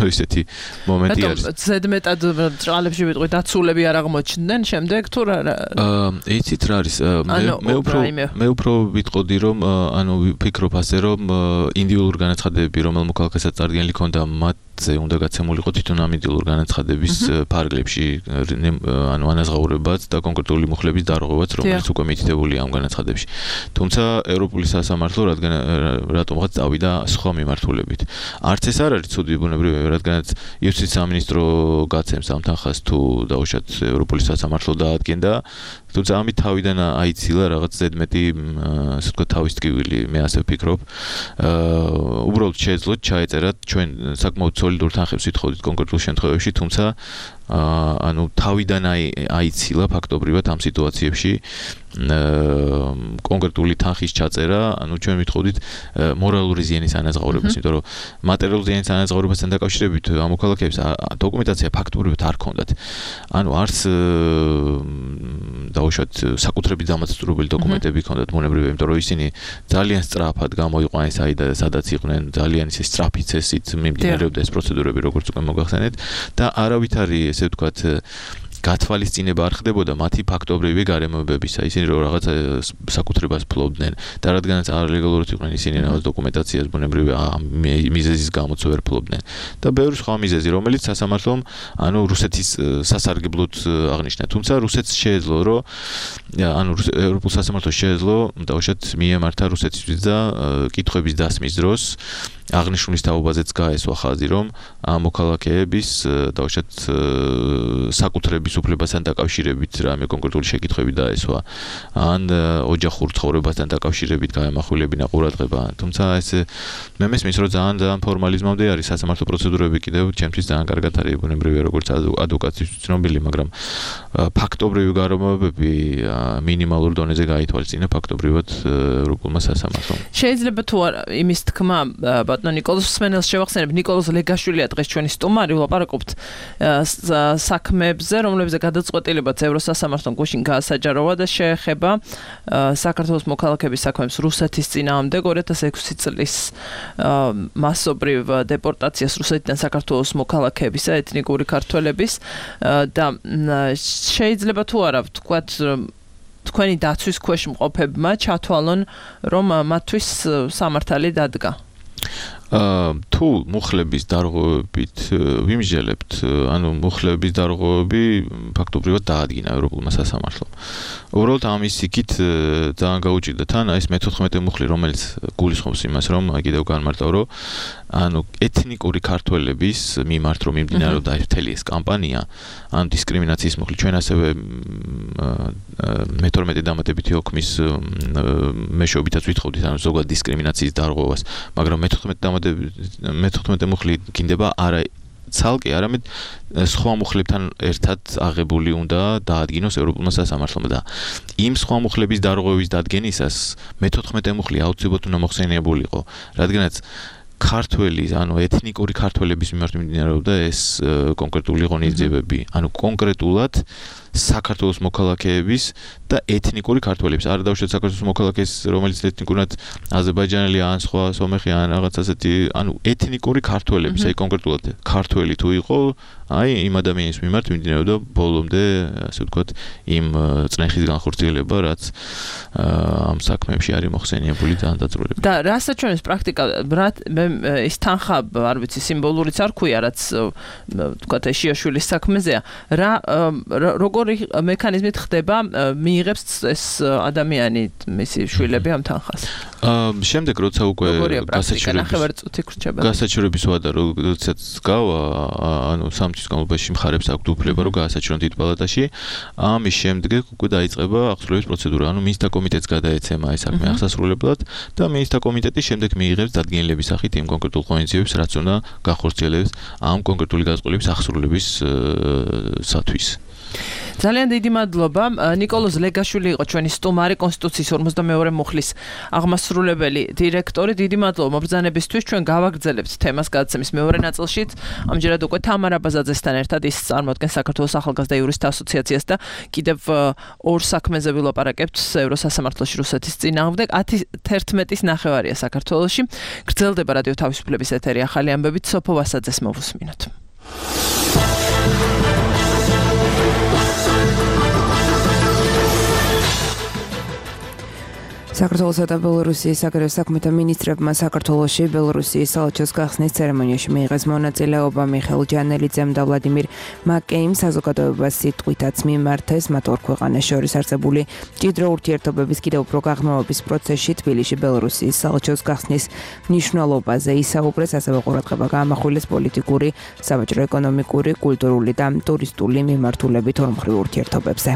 ისეთი მომენტი არის. ზედმეტად ჭრალებში ვიტყვი დაცულები არ აღმოჩნდნენ შემდეგ თუ რა? აა იცით რა არის? მე უფრო მე უფრო ვიტყოდი რომ ანუ ვფიქრობ ასე რომ ინდივიდუალური განაცხადები რომელ მოქალაქესაც წარდგენილი ქონდა მათზე უნდა გაცემულიყო თვითონ ამ ინდივიდუალური განაცხადების ფარგლებში ანუ ანაზღაურებაც და კონკრეტული მუხლების დარღვევაც რომელიც უკვე მითითებულია ამ განაცხადებში. თუმცა ევროპული სასამართლო რადგან რატომღაც წავიდა სხვა მიმართულებით. არც ეს არ არის ცუდი ბუნებრივია, რადგანაც იუსტიციის სამინისტრო გაცემს ამ თანხას თუ დაუშვათ ევროპული სასამართლო დაადგენდა, თუმცა ამით თავიდან აიცილა რაღაც ზედმეტი ასე ვთქვათ თავის ტკივილი, მე ასე ვფიქრობ. აა უბრალოდ შეეძლოთ ჩაეწერათ ჩვენ საკმაოდ სოლიდურ თანხებს ვითხოვდით კონკრეტულ შემთხვევებში, თუმცა აა ანუ თავიდან აიცილა ფაქტობრივად ამ სიტუაციებში კონკრეტული თანხის ჩაწერა, ანუ ჩვენ ვითხოვდით მორალური ზიანის ანაზღაურებას, იმიტომ რომ მატერიალური ზიანის ანაზღაურებასთან დაკავშირებით ამ მოქალაქეებს დოკუმენტაცია ფაქტობრივად არ ქონდათ. ანუ არც დაუშვათ საკუთრებით დამაცურებელი დოკუმენტები ქონდათ ბუნებრივია, იმიტომ რომ ისინი ძალიან სწრაფად გამოიყვანეს საიდან სადაც იყვნენ, ძალიან ისე სწრაფი წესით მიმდინარეობდა ეს პროცედურები, როგორც უკვე მოგახსენეთ და არავითარი ესე ვთქვათ გათვალისწინება არ ხდებოდა მათი ფაქტობრივი გარემოებებისა. ისინი რომ რაღაც საკუთრებას ფლობდნენ და რადგანაც არ ლეგალურად იყვნენ ისინი რაღაც დოკუმენტაციას ბუნებრივია მიზეზის გამოც ვერ ფლობდნენ. და ბევრი სხვა მიზეზი, რომელიც სასამართლომ ანუ რუსეთის სასარგებლოდ აღნიშნა. თუმცა რუსეთს შეეძლო, რომ ანუ ევროპულ სასამართლოს შეეძლო დაუშვათ მიემართა რუსეთისთვის და კითხვების დასმის დროს აღნიშნულის თაობაზეც გაესვა ხაზი, რომ ამ მოქალაქეების დაუშვათ საკუთრების უფლებასთან დაკავშირებით რამე კონკრეტული შეკითხვები დაესვა, ან ოჯახურ ცხოვრებასთან დაკავშირებით გაემახვილებინა ყურადღება. თუმცა ეს მე მესმის, რომ ძალიან ძალიან ფორმალიზმამდე არის სასამართლო პროცედურები კიდევ ჩემთვის ძალიან კარგად არის ბუნებრივია როგორც ადვოკატის ცნობილი, მაგრამ ფაქტობრივი გარემოებები მინიმალურ დონეზე გაითვალისწინა ფაქტობრივად ევროპულმა სასამართლომ. შეიძლება თუ არა იმის თქმა ბატონო ნიკოლოზ სმენელს შევახსენებ, ნიკოლოზ ლეგაშვილია დღეს ჩვენი სტუმარი, ვლაპარაკობთ საქმეებზე, რომლებზე გადაწყვეტილებაც ევროსასამართლომ გუშინ გაასაჯაროვა და შეეხება საქართველოს მოქალაქეების საქმეებს რუსეთის წინააღმდეგ ორი ათას ექვსი წლის მასობრივ დეპორტაციას რუსეთიდან საქართველოს მოქალაქეებისა, ეთნიკური ქართველების და შეიძლება თუ არა ვთქვათ თქვენი დაცვის ქვეშ მყოფებმა ჩათვალონ, რომ მათთვის სამართალი დადგა. თუ მუხლების დარღვევებით ვიმსჯელებთ, ანუ მუხლების დარღვევები ფაქტობრივად დაადგინა ევროპულმა სასამართლომ. უბრალოდ ამის იქით ძალიან გაუჭირდა თან ეს მეთოთხმეტე მუხლი, რომელიც გულისხმობს იმას, რომ კიდევ განმარტავ, რომ ანუ ეთნიკური ქართველების მიმართ რომ მიმდინარეობდა მთელი ეს კამპანია, ანუ დისკრიმინაციის მუხლი, ჩვენ ასევე მეთორმეტე დამატებითი ოქმის მეშვეობითაც ვითხოვდით ანუ ზოგადად დისკრიმინაციის დარღვევას, მაგრამ მეთოთხმეტე მუხლი გინდება არა ცალკე, არამედ სხვა მუხლებთან ერთად აღებული უნდა დაადგინოს ევროპულმა სასამართლომ და იმ სხვა მუხლების დარღვევის დადგენისას მეთოთხმეტე მუხლი აუცილებლად უნდა მოხსენიებულიყო, რადგანაც ქართველი, ანუ ეთნიკური ქართველების მიმართ მიმდინარეობდა ეს კონკრეტული ღონისძიებები, ანუ კონკრეტულად საქართველოს მოქალაქეების და ეთნიკური ქართველების. არ დავუშვათ საქართველოს მოქალაქეს, რომელიც ეთნიკურად აზერბაიჯანელი ან სხვა სომეხი ან რაღაც ასეთი, ანუ ეთნიკური ქართველების, აი კონკრეტულად ქართველი თუ იყო, აი იმ ადამიანის მიმართ მიმდინარეობდა ბოლომდე, ასე ვთქვათ, იმ წნეხის განხორციელება, რაც ამ საქმეებში არის მოხსენიებული და დაწვრილებული. და რასაც პრაქტიკა ის თანხა, არ ვიცი, სიმბოლურიც არ ქვია, რაც ვთქვათ, ეშიაშვილის საქმეზეა. რა როგორი მექანიზმით ხდება, მიიღებს ეს ადამიანი მისი შვილები ამ თანხას? შემდეგ როცა უკვე გასაჩივრების ვადა როდესაც გავა, ანუ სამ თვის განმავლობაში მხარებს აქვთ უფლება რომ გაასაჩივრონ დიდ პალატაში, ამის შემდეგ უკვე დაიწყება აღსრულების პროცედურა, ანუ მინისტრთა კომიტეტს გადაეცემა ეს საქმე აღსასრულებლად და მინისტრთა კომიტეტი შემდეგ მიიღებს დადგენილების სახით იმ კონკრეტულ ღონისძიებებს, რაც უნდა გახორციელდეს ამ კონკრეტული გაზრდილების აღსრულების სათვის. ძალიან დიდი მადლობა. ნიკოლოზ ლეგაშვილი იყო ჩვენი სტუმარი, კონსტიტუციის ორმოცდამეორე მუხლის აღმასრულებელი დირექტორი. დიდი მადლობა მობრძანებისთვის. ჩვენ გავაგრძელებთ თემას გადაცემის მეორე ნაწილშიც. ამჯერად უკვე თამარ აბაზაძესთან ერთად ის წარმოადგენს საქართველოს ახალგაზრდა იურისტთა ასოციაციას და კიდევ ორ საქმეზე ვილაპარაკებთ ევროსასამართლოში რუსეთის წინააღმდეგ. ათი თერთმეტის ნახევარია საქართველოში. გრძელდება რადიო თავისუფლების ეთერი ახალი ამბებით. სოფო ვასაძეს მოვუსმინოთ. საქართველოსა და ბელორუსიის საგარეო საქმეთა მინისტრებმა საქართველოში ბელორუსიის საელჩოს გახსნის ცერემონიაში მიიღეს მონაწილეობა. მიხეილ ჯანელიძემ და ვლადიმირ მაკეიმ საზოგადოებას სიტყვითაც მიმართეს მათ ორ ქვეყანას შორის არსებული მჭიდრო ურთიერთობების კიდევ უფრო გაღრმავების პროცესში თბილისში ბელორუსიის საელჩოს გახსნის მნიშვნელობაზე ისაუბრეს, ასევე ყურადღება გაამახვილეს პოლიტიკური, საბაჟრო-ეკონომიკური, კულტურული და ტურისტული მიმართულებით ორმხრივ ურთიერთობებზე.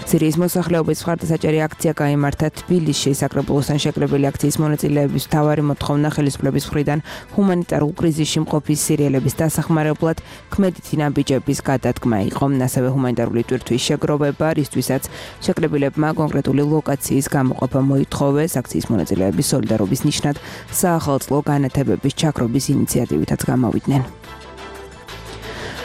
სირიის მოსახლეობის მხარდასაჭერი აქცია გაიმართა თბილისში. საკრებულოსთან შეკრებილი აქციის მონაწილეების მთავარი მოთხოვნა ხელისუფლების მხრიდან ჰუმანიტარულ კრიზისში მყოფი სირიელების დასახმარებლად ქმედითი ნაბიჯების გადადგმა იყო. ასევე ჰუმანიტარული ტვირთვის შეგროვება, რისთვისაც შეკრებილებმა კონკრეტული ლოკაციის გამოყოფა მოითხოვეს. აქციის მონაწილეების სოლიდარობის ნიშნად საახალწლო განათებების ჩაქრობის ინიციატივითაც გამოვიდნენ.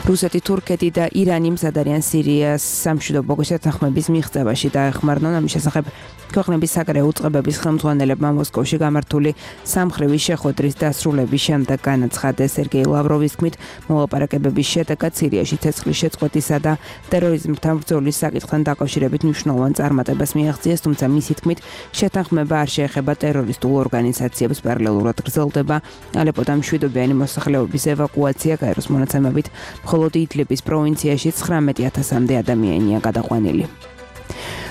რუსეთი, თურქეთი და ირანი მზად არიან სირიას სამშვიდობო შეთანხმების მიღწევაში დაეხმარნენ. ამის შესახებ ქვეყნების საგარეო უწყებების ხელმძღვანელებმა მოსკოვში გამართული სამხრივი შეხვედრის დასრულების შემდეგ განაცხადეს. სერგეი ლავროვის თქმით, მოლაპარაკებების შედეგად სირიაში ცეცხლის შეწყვეტისა და ტერორიზმთან ბრძოლის საკითხთან დაკავშირებით მნიშვნელოვან წარმატებას მიაღწიეს, თუმცა მისი თქმით, შეთანხმება არ შეეხება ტერორისტულ ორგანიზაციებს. პარალელურად გრძელდება ალეპოდან მშვიდობიანი მოსახლეობის ევაკუაცია. გაეროს მონაცემებით მხოლოდ იდლიბის პროვინციაში ცხრამეტი ათასამდე ადამიანია გადაყვანილი.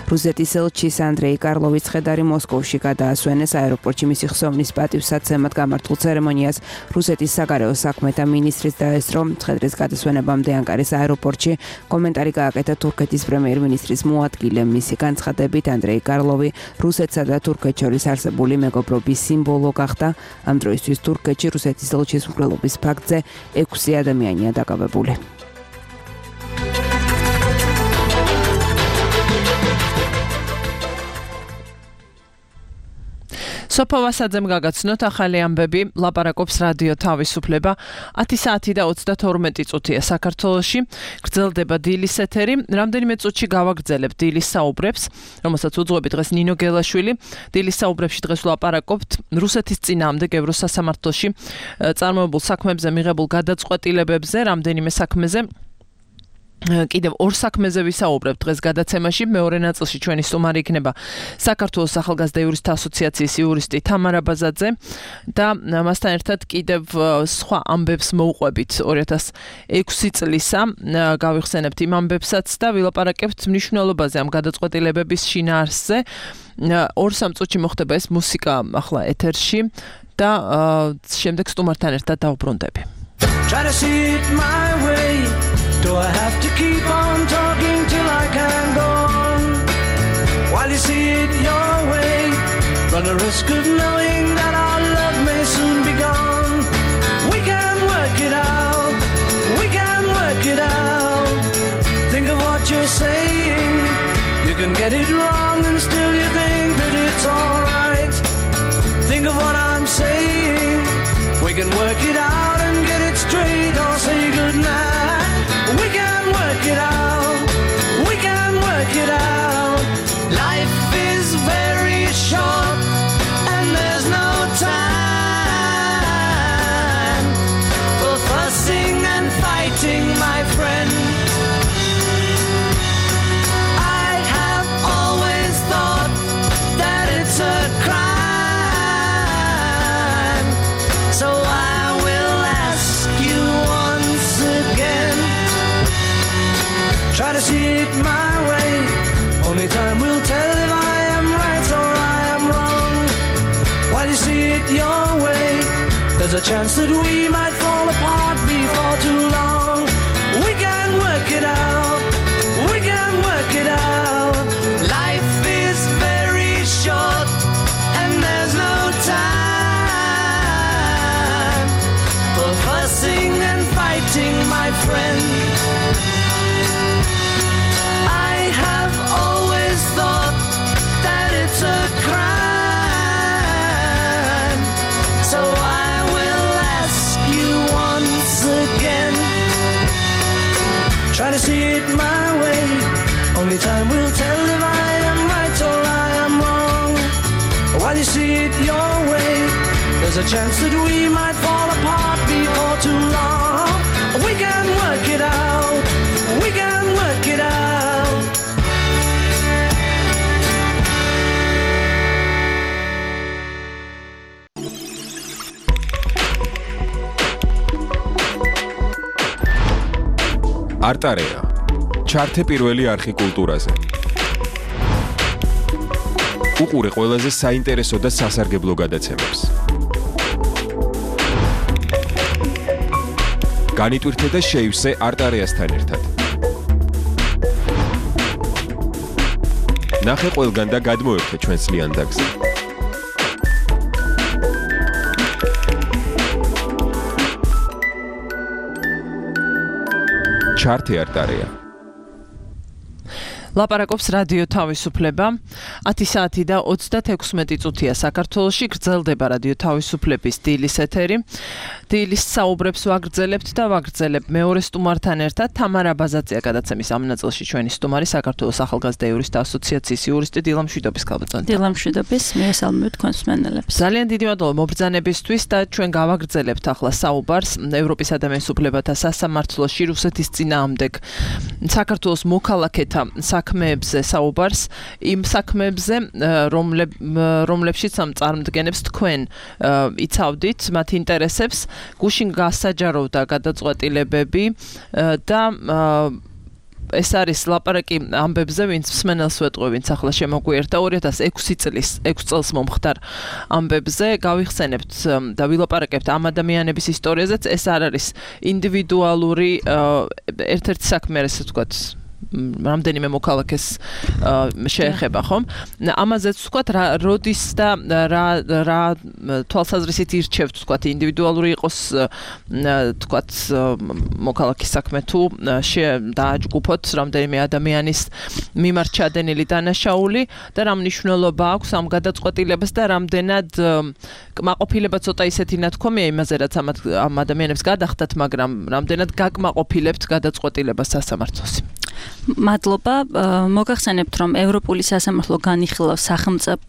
რუსეთის ელჩის ანდრეი კარლოვის ცხედარი მოსკოვში გადაასვენეს. აეროპორტში მისი ხსოვნის პატივსაცემად გამართულ ცერემონიას რუსეთის საგარეო საქმეთა მინისტრის დაესწრო. ცხედრის გადასვენებამდე ანკარის აეროპორტში კომენტარი გააკეთა თურქეთის პრემიერ-მინისტრის მოადგილე. მისი განცხადებით, ანდრეი კარლოვი რუსეთსა და თურქეთს შორის არსებული მეგობრობის სიმბოლო გახდა. ამ დროისთვის თურქეთში რუსეთის ელჩის მკვლელობის ფაქტზე ექვსი ადამიანია დაკავებული. სოფო ვასაძემ გაგაცნოთ ახალი ამბები, ლაპარაკობს რადიო თავისუფლება. ათი საათი და ოცდათორმეტი წუთია საქართველოში. გრძელდება დილის ეთერი. რამდენიმე წუთში გავაგრძელებთ დილის საუბრებს, რომელსაც უძღვები დღეს ნინო გელაშვილი. დილის საუბრებში დღეს ვლაპარაკობთ რუსეთის წინააღმდეგ ევროსასამართლოში წარმოებულ საქმეებზე მიღებულ გადაწყვეტილებებზე, რამდენიმე საქმეზე. კიდევ ორ საქმეზე ვისაუბრებთ დღეს გადაცემაში. მეორე ნაწილში ჩვენი სტუმარი იქნება საქართველოს ახალგაზრდა იურისტთა ასოციაციის იურისტი თამარ აბაზაძე და მასთან ერთად კიდევ სხვა ამბებს მოვყვებით ორი ათას ექვსი წლისა. გავიხსენებთ იმ ამბებსაც და ვილაპარაკებთ მნიშვნელობაზე ამ გადაწყვეტილებების შინაარსზე. ორ სამ წუთში მოხდება ეს მუსიკა ახლა ეთერში და შემდეგ სტუმართან ერთად დავუბრუნდები. Try to see it my way. Do I have to keep on talking till I can go on? While you see it your way, run the risk of knowing that our love may soon be gone. We can work it out, we can work it out. Think of what you're saying. You can get it wrong and still you think that it's alright. Think of what I'm saying. We can work it out and get it straight or say goodnight. We can work it out. We to see it my way. Only time will tell if I am right or I am wrong. While you see it your way, there's a chance that we might fall apart before too long. We can work it out. We can work it out. Life is very short and there's no time for fussing and fighting, my friend. I have always thought that it's a crime, so I will ask you once again. Try to see it my way. Only time will tell if I am right or I am wrong. While you see it your way, there's a chance that we might fall apart before too long. We can work it out. We can work it out. არტარეა. ჩართე პირველი არხი კულტურაზე. უყურე ყველაზე საინტერესო და სასარგებლო გადაცემებს. განიტვირთე და შეივსე არტარეასთან ერთად. ნახე ყველგან და გადმოერთე ჩვენს ლიანდაგზე. ჩართე არტარეა. ლაპარაკობს რადიო თავისუფლება. ათი საათი და ოცდათექვსმეტი წუთია საქართველოში, გრძელდება რადიო თავისუფლების დილის ეთერი. დილის საუბრებს ვაგრძელებთ და ვაგრძელებ მეორე სტუმართან ერთად. თამარა ბაზაცია გადაცემის ამ ნაწილში ჩვენი სტუმარი, საქართველოს ახალგაზრდა იურისტთა ასოციაციის იურისტი დილა მშვიდობის ქალბატონი. დილა მშვიდობის, მიესალმებით თქვენს მსმენელებს. ძალიან დიდი მადლობა მობრძანებისთვის და ჩვენ გავაგრძელებთ ახლა საუბარს ევროპის ადამიანის უფლებათა სასამართლოში რუსეთის წინააღმდეგ საქართველოს მოქალაქეთა საქმეებზე საუბარს, იმ საქმეებზე, რომლებშიც ამ წარმოდგენებს თქვენ იცავდით, მათ ინტერესებს, გუშინ გასაჯაროვდა გადაწყვეტილებები და ეს არის ლაპარაკი ამბებზე, ვინც მსმენელს ვეტყვი, ვინც ახლა შემოგვიერთა ორი ათას ექვსი წლის ექვს წელს მომხდარ ამბებზე, გავიხსენებთ და ვილაპარაკებთ ამ ადამიანების ისტორიაზეც. ეს არ არის ინდივიდუალური ერთ-ერთი საქმე, ესე ვთქვათ, რამდენიმე მოქალაქეს შეეხება, ხომ? ამაზეც ვთქვათ, როდის და რა რა თვალსაზრისით ირჩევთ, ვთქვათ, ინდივიდუალური იყოს, ვთქვათ, მოქალაქის საქმე თუ დააჯგუფოთ რამდენიმე ადამიანის მიმართ ჩადენილი დანაშაული და რა მნიშვნელობა აქვს ამ გადაწყვეტილებას და რამდენად კმაყოფილება ცოტა ისეთი ნათქვამია იმაზე, რაც ამ ადამიანებს გადახდათ, მაგრამ რამდენად გაკმაყოფილებთ გადაწყვეტილებას სასამართლოს. მადლობა. მოგახსენებთ, რომ ევროპული სასამართლო განიხილავს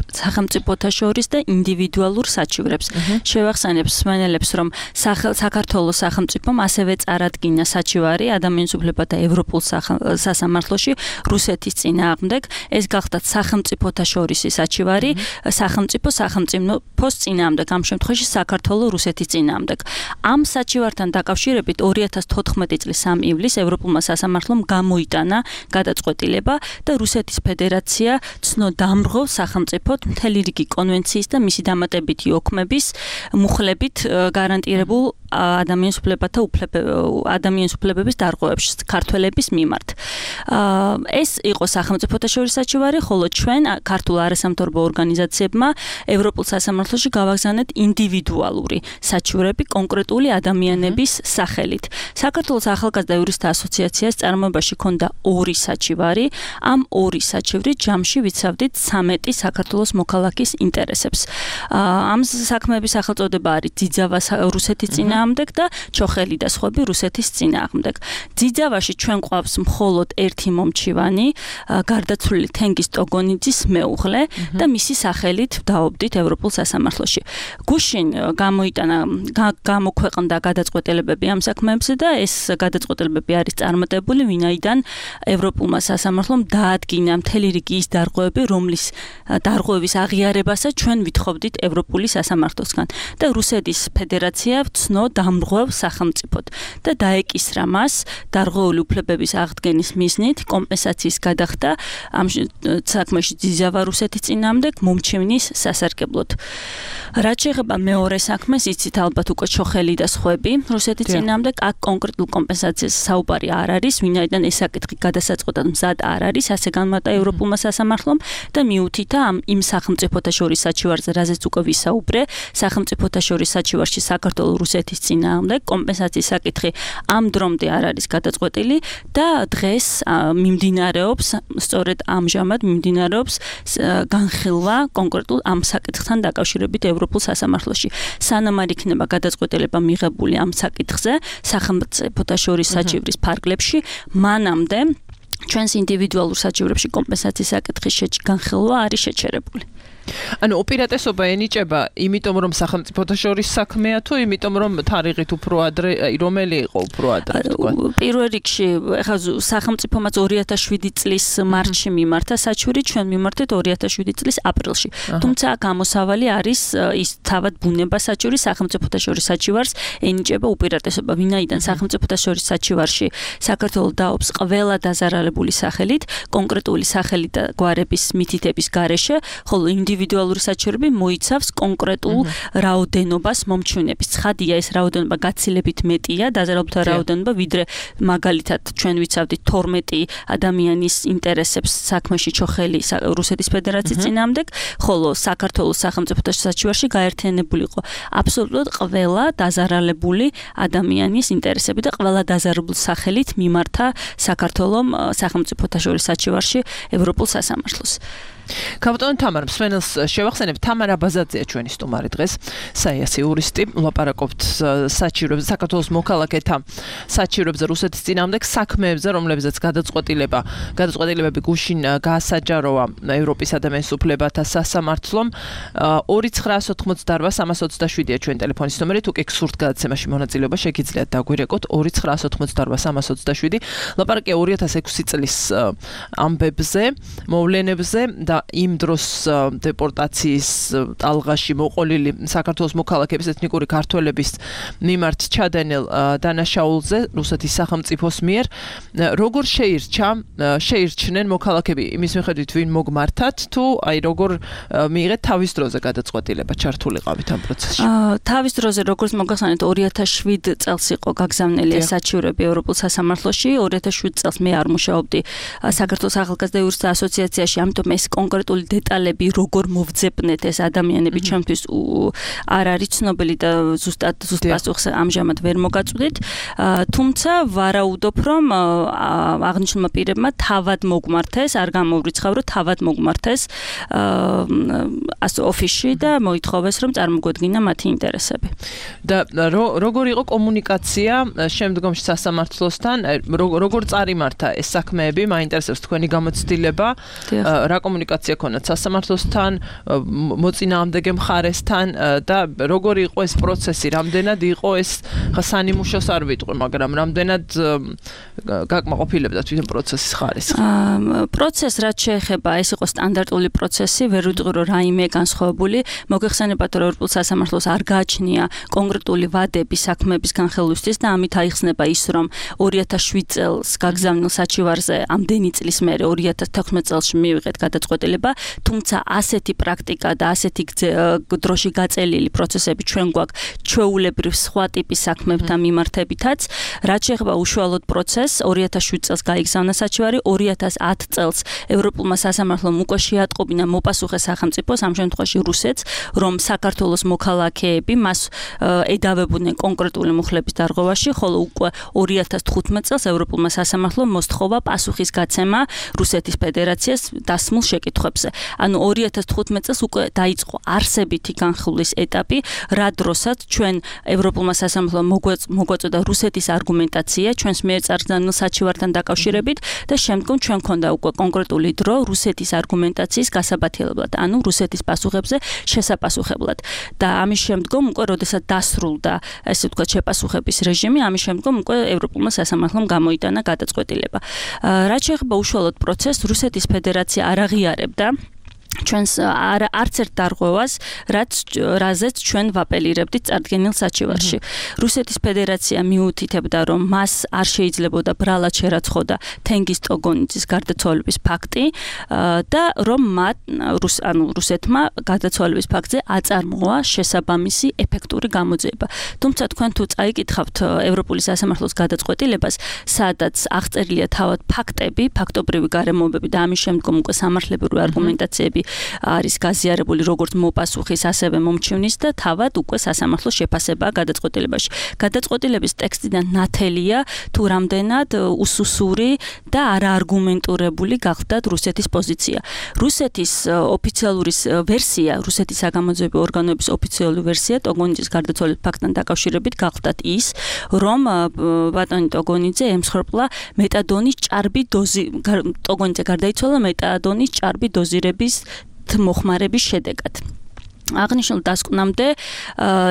სახელმწიფოთა შორის და ინდივიდუალურ საჩივრებს. შევახსენებ მსმენელებს, რომ საქართველოს სახელმწიფომ ასევე წარადგინა საჩივარი ადამიანის უფლებათა ევროპულ სასამართლოში რუსეთის წინააღმდეგ. ეს გახდათ სახელმწიფოთა შორისი საჩივარი სახელმწიფო სახელმწიფოს წინააღმდეგ, ამ შემთხვევაში საქართველოს რუსეთის წინააღმდეგ. ამ საჩივართან დაკავშირებით ორი ათას თოთხმეტი წლის სამი ივლისს ევროპულმა სასამართლომ გამოიტანა გადაწყვეტილება და რუსეთის ფედერაცია ცნო დამრღავს სახელმწიფოდ მთელი რიგი კონვენციის და მისი დამატებითი ოქმების მუხლებით გარანტირებულ ადამიანის უფლებათა ადამიანის უფლებების დარღვევებში ქართველების მიმართ. ეს იყო სახელმწიფოთა შორის საჩივარი, ხოლო ჩვენ ქართულ არასამთავრობო ორგანიზაციებმა ევროპულ სასამართლოში გავაგზავნეთ ინდივიდუალური საჩივრები კონკრეტული ადამიანების სახელით. საქართველოს ახალგაზრდა იურისტთა ასოციაციას წარმოებაში ჰქონდა ორი საჩივარი. ამ ორი საჩივრით ჯამში ვიცავდით ცამეტი საქართველოს მოქალაქის ინტერესებს. ამ საქმეების სახელწოდება არის ძიძავა რუსეთის წინააღმდეგ და ჩოხელი და სხვები რუსეთის წინააღმდეგ. ძიძავაში ჩვენ გვყავს მხოლოდ ერთი მომჩივანი, გარდაცვლილი თენგიზ ტოგონიძის მეუღლე და მისი სახელით ვდაობდით ევროპულ სასამართლოში. გუშინ გამოიტანა გამოქვეყნდა გადაწყვეტილებები ამ საქმეებზე და ეს გადაწყვეტილებები არის წარმატებული, ვინაიდან ევროპულმა სასამართლომ დაადგინა მთელი რიგი ის დარღვევები, რომლის დარღვევის აღიარებასაც ჩვენ ვითხოვდით ევროპული სასამართლოსგან და რუსეთის ფედერაცია ვცნო დამრღვევ სახელმწიფოდ და დაეკისრა მას დარღვეული უფლებების აღდგენის მიზნით კომპენსაციის გადახდა ამ საქმეში ძიზავა რუსეთის წინააღმდეგ მომჩევნის სასარგებლოდ. რაც შეეხება მეორე საქმეს, იცით ალბათ უკვე ჩოხელი და სხვები რუსეთის წინააღმდეგ აქ კონკრეტულ კომპენსაციას საუბარი არ არის, ვინაიდან ეს საკითხი გადასაწყვეტად მზად არ არის, ასე განმარტა ევროპულმა სასამართლომ და მიუთითა ამ იმ სახელმწიფოთა შორის საჩივარზე, რაზეც უკვე ვისაუბრე, სახელმწიფოთა შორის საჩივარში საქართველოს რუსეთის წინააღმდეგ კომპენსაციის საკითხი ამ დრომდე არ არის გადაწყვეტილი და დღეს მიმდინარეობს, სწორედ ამჟამად მიმდინარეობს განხილვა კონკრეტულ ამ საკითხთან დაკავშირებით ევროპულ სასამართლოში. სანამ არ იქნება გადაწყვეტილება მიღებული ამ საკითხზე სახელმწიფოთა შორის საჩივრის ფარგლებში, მანამდე ჩვენს ინდივიდუალურ საჩივრებში კომპენსაციის საკითხის განხილვა არის შეჩერებული. ანუ უპირატესობა ენიჭება იმიტომ რომ სახელმწიფოთა შორის საქმეა თუ იმიტომ რომ თარიღით უფრო ადრე რომელი იყო უფრო ადრე თქვა პირველ რიგში ეხლა სახელმწიფომაც ორი ათას შვიდი წლის მარტში მიმართა საჩვირი ჩვენ მიმართეთ ორი ათას შვიდი წლის აპრილში თუმცა გამოსავალი არის ის თავად ბუნება საჩვირი სახელმწიფოთა შორის საჩივარს ენიჭება უპირატესობა ვინაიდან სახელმწიფოთა შორის საჩივარში საქართველოს დაობს ყველა დაზარალებული სახელით კონკრეტული სახელით და გვარების მითითების გარეშე ხოლო ინდივიდუალური საჩვირები მოიცავს კონკრეტულ რაოდენობას მომჩვენების. ცხადია ეს რაოდენობა გაცილებით მეტია, დაზარალებულთა რაოდენობა, ვიდრე მაგალითად ჩვენ ვიცავდით თორმეტი ადამიანის ინტერესებს საქმეში ჩოხელი რუსეთის ფედერაციის წინააღმდეგ, ხოლო საქართველოს სახელმწიფოთა საჩივარში გაერთიანებული იყო აბსოლუტურად ყველა დაზარალებული ადამიანის ინტერესები და ყველა დაზარალებული სახელით მიმართა საქართველოს სახელმწიფოთა შორის საჩივარში ევროპულ სასამართლოს. კაპიტან თამარ მსმენელს შევახსენებ თამარ აბაზაძეა ჩვენი სტუმარი დღეს საიასი იურისტი ლაპარაკობთ საჩივრებზე საქართველოს მოქალაქეთა საჩივრებზე რუსეთის წინააღმდეგ საქმეებზე რომლებზეც გადაწყვეტილება გადაწყვეტილებები გუშინ გაასაჯაროა ევროპის ადამიანის უფლებათა სასამართლომ ორი ცხრაას ოთხმოცდაოთხ სამას ოცდაშვიდია ჩვენი ტელეფონის ნომერი თუ კი გსურთ გადაცემაში მონაწილეობა შეგიძლიათ დაგვირეკოთ ორი ცხრაას ოთხმოცდაოთხ სამას ოცდაშვიდი ლაპარაკია ორი ათას ექვსი წლის ამბებზე მოვლენებზე და იმ დროს დეპორტაციის ტალღაში მოყოლილი საქართველოს მოქალაქეების ეთნიკური ქართველების მიმართ ჩადენილ დანაშაულზე რუსეთის სახელმწიფოს მიერ როგორ შეირჩა შეირჩნენ მოქალაქეები იმის მიხედვით ვინ მოგმართათ თუ აი როგორ მიიღეთ თავის დროზე გადაწყვეტილება ჩართულიყავით ამ პროცესში თავის დროზე როგორც მოგახსენეთ ორი ათას შვიდი წელს იყო გაგზავნილი საჩივრები ევროპულ სასამართლოში ორი ათას შვიდი წელს მე არ მუშაობდი საქართველოს ახალგაზრდა იურისტთა ასოციაციაში ამიტომ ეს კონკრეტული დეტალები როგორ მოვძებნეთ ეს ადამიანები ჩემთვის არ არის ცნობილი და ზუსტად ზუსტ პასუხს ამჟამად ვერ მოგაწვდით თუმცა ვარაუდობ რომ აღნიშნულმა პირებმა თავად მოგმართეს არ გამოვრიცხავ რომ თავად მოგმართეს ოფისში და მოითხოვეს რომ წარმოგვედგინა მათი ინტერესები და როგორ იყო კომუნიკაცია შემდგომში სასამართლოსთან როგორ წარიმართა ეს საქმეები მაინტერესებს თქვენი გამოცდილება რა კომუნიკაცია ქონდათ სასამართლოსთან, მოწინააღმდეგე მხარესთან და როგორი იყო ეს პროცესი, რამდენად იყო ეს ხსანიმუშოს არ ვიტყვი, მაგრამ რამდენად გაკმაყოფილებდა თვითონ პროცესის ხარისხი. პროცესს რაც შეეხება, ეს იყო სტანდარტული პროცესი, ვერ ვიტყვი რომ რაიმე განსხვავებული, მოგეხსენებათ რომ ევროპულ სასამართლოს არ გააჩნია კონკრეტული ვადები საქმეების განხილვისთვის და ამით აიხსნება ის რომ ორი ათას შვიდი წელს გაგზავნილ საჩივარზე ამდენი წლის მერე ორი ათას თექვსმეტ წელს მივიღეთ გადაწყვეტილება თუმცა ასეთი პრაქტიკა და ასეთი დროში გაწელილი პროცესები ჩვენ გვაქვს ჩვეულებრივ სხვა ტიპის საქმეებთან მიმართებითაც რაც შეეხება უშუალოდ პროცესს ორი ათას შვიდი წელს გაიგზავნა საჩივარი ორი ათას ათი წელს ევროპულმა სასამართლომ უკვე შეატყობინა მოპასუხე სახელმწიფოს ამ შემთხვევაში რუსეთს რომ საქართველოს მოქალაქეები მას ედავებოდნენ კონკრეტული მუხლების დარღვევაში ხოლო უკვე ორი ათას თხუთმეტ წელს ევროპულმა სასამართლომ მოსთხოვა პასუხის გაცემა რუსეთის ფედერაციას დასმულ შეკითხვებზე ანუ ორი ათას თხუთმეტ წელს უკვე დაიწყო არსებითი განხილვის ეტაპი რა დროსაც ჩვენ ევროპულმა სასამართლომ მოგვაწოდა რუსეთის არგუმენტაცია ჩვენს მიერ წარგზავნილ საჩივართან დაკავშირებით და შემდგომ ჩვენ ქონდა უკვე კონკრეტული დრო რუსეთის არგუმენტაციის გასაბათილებლად ანუ რუსეთის პასუხებზე შესაპასუხებლად და ამის შემდგომ უკვე როდესაც დასრულდა ესე ვთქვათ შეპასუხების რეჟიმი ამის შემდგომ უკვე ევროპულმა სასამართლომ გამოიტანა გადაწყვეტილება რაც შეეხება უშუალოდ პროცესს რუსეთის ფედერაცია არ აღიარებდა ჩვენს არ არც ერთ დარღვევას, რაც რაზეც ჩვენ ვაპელირებდით წარდგენილ საჩივარში. რუსეთის ფედერაცია მიუთითებდა, რომ მას არ შეიძლებოდა ბრალად შერაცხოდა თენგიზ ტოგონიძის გარდაცვალების ფაქტი და რომ მათ რუს ანუ რუსეთმა გარდაცვალების ფაქტზე აწარმოა შესაბამისი ეფექტური გამოძიება. თუმცა თქვენ თუ წაიკითხავთ ევროპული სასამართლოს გადაწყვეტილებას, სადაც აღწერილია თავად ფაქტები, ფაქტობრივი გარემოებები და ამის შემდგომ უკვე სამართლებრივი არგუმენტაციები არის გაზიარებული როგორც მოპასუხის, ასევე მომჩივნის და თავად უკვე სასამართლოს შეფასებაა გადაწყვეტილებაში. გადაწყვეტილების ტექსტიდან ნათელია თუ რამდენად უსუსური და არაარგუმენტურებული გახდათ რუსეთის პოზიცია. რუსეთის ოფიციალური ვერსია, რუსეთის საგამოძიებო ორგანოების ოფიციალური ვერსია ტოგონიძის გარდაცვალების ფაქტთან დაკავშირებით გახდათ ის, რომ ბატონი ტოგონიძე ემსხვერპლა მეტადონის ჭარბი დოზი ტოგონიძე გარდაიცვალა მეტადონის ჭარბი დოზირების მოხმარების შედეგად. აღნიშნულ დასკვნამდე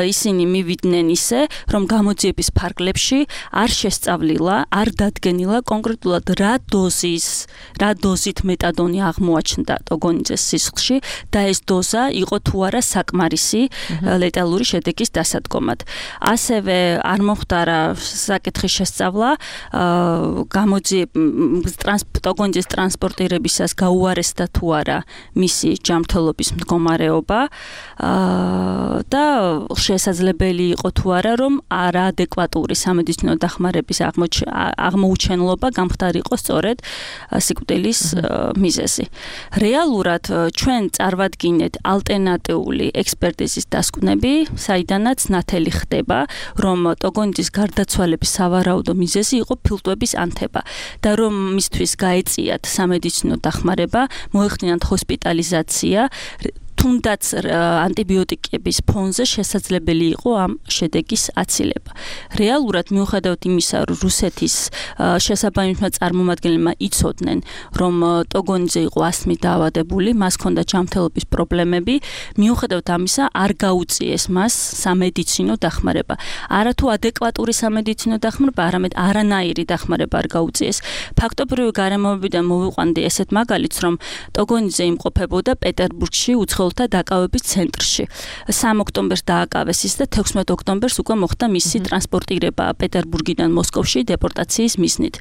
ისინი მივიდნენ ისე, რომ გამოძიების ფარგლებში არ შესწავლილა, არ დადგენილა კონკრეტულად რა დოზის, რა დოზით მეტადონი აღმოაჩნდა ტოგონიძეს სისხლში და ეს დოზა იყო თუ არა საკმარისი ლეტალური შედეგის დასადგომად. ასევე არ მოხდარა საკითხის შესწავლა გამოძიების ტოგონიძეს ტრანსპორტირებისას გაუარესდა თუ არა მისი ჯანმრთელობის მდგომარეობა. და შესაძლებელი იყო თუ არა რომ არაადეკვატური სამედიცინო დახმარების აღმოუჩენლობა გამხდარიყო სწორედ სიკვდილის მიზეზი. რეალურად ჩვენ წარმოვადგინეთ ალტერნატიული ექსპერტიზის დასკვნები, საიდანაც ნათელი ხდება, რომ ტოგონიძის გარდაცვალების სავარაუდო მიზეზი იყო ფილტვების ანთება და რომ მისთვის გაეწიათ სამედიცინო დახმარება, მოეხდინათ ჰოსპიტალიზაცია, თუნდაც ანტიბიოტიკების ფონზე შესაძლებელი იყო ამ შედეგის აცილება. რეალურად მიუხედავად იმისა, რომ რუსეთის შესაბამისმა წარმომადგენლებმა იცოდნენ, რომ ტოგონიძე იყო ასთმით დაავადებული, მას ჰქონდა ჯანმრთელობის პრობლემები, მიუხედავად ამისა არ გაუწიეს მას სამედიცინო დახმარება. არათუ ადეკვატური სამედიცინო დახმარება, არამედ არანაირი დახმარება არ გაუწიეს. ფაქტობრივი გარემოებიდან მოვიყვანდი ესეთ მაგალითს, რომ ტოგონიძე იმყოფებოდა პეტერბურგში უცხოელთა დაკავების ცენტრში. სამი ოქტომბერს დააკავეს ის და თექვსმეტი ოქტომბერს უკვე მოხდა მისი ტრანსპორტირება პეტერბურგიდან მოსკოვში დეპორტაციის მიზნით.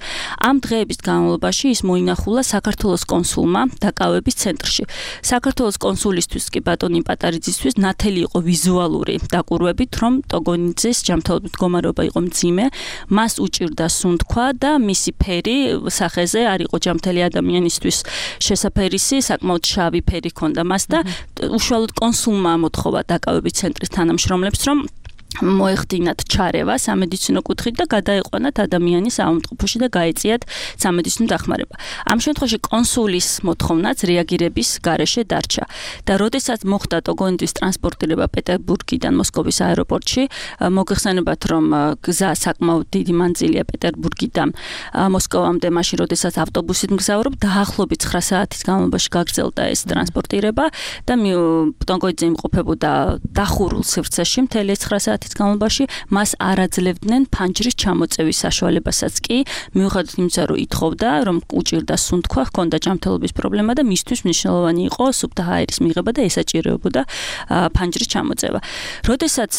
ამ დღეების განმავლობაში ის მოინახულა საქართველოს კონსულმა დაკავების ცენტრში. საქართველოს კონსულისთვის კი ბატონი პატარიძისთვის ნათელი იყო ვიზუალური დაკვირვებით, რომ ტოგონიძეს ჯანმრთელობის მდგომარეობა იყო მძიმე, მას უჭირდა სუნთქვა და მისი ფერი სახეზე არ იყო ჯანმრთელი ადამიანისთვის შესაფერისი, საკმაოდ შავი ფერი ჰქონდა მას და უშუალოდ კონსულმა მოთხოვა დაკავების ცენტრის თანამშრომლებს, რომ მოეხდინათ ჩარევა სამედიცინო კუთხით და გადაეყვანათ ადამიანი საავადმყოფოში და გაეწიათ სამედიცინო დახმარება. ამ შემთხვევაში კონსულის მოთხოვნაც რეაგირების გარეშე დარჩა და როდესაც მოხდა ტოგონიძის ტრანსპორტირება პეტერბურგიდან მოსკოვის აეროპორტში, მოგეხსენებათ, რომ გზა საკმაოდ დიდი მანძილია პეტერბურგიდან მოსკოვამდე, მაშინ როდესაც ავტობუსით მგზავრობ, დაახლოებით ცხრა საათის განმავლობაში გაგრძელდა ეს ტრანსპორტირება და ტოგონიძე იმყოფებოდა დახურულ სივრცეში მთელი ცხრა საათის განმავლობაში, მას არ აძლევდნენ ფანჯრის ჩამოწევის საშუალებასაც კი, მიუხედავად იმისა, რომ ითხოვდა, რომ უჭირდა სუნთქვა, ჰქონდა ჯანმრთელობის პრობლემა და მისთვის მნიშვნელოვანი იყო სუფთა ჰაერის მიღება და ესაჭიროებოდა ფანჯრის ჩამოწევა. როდესაც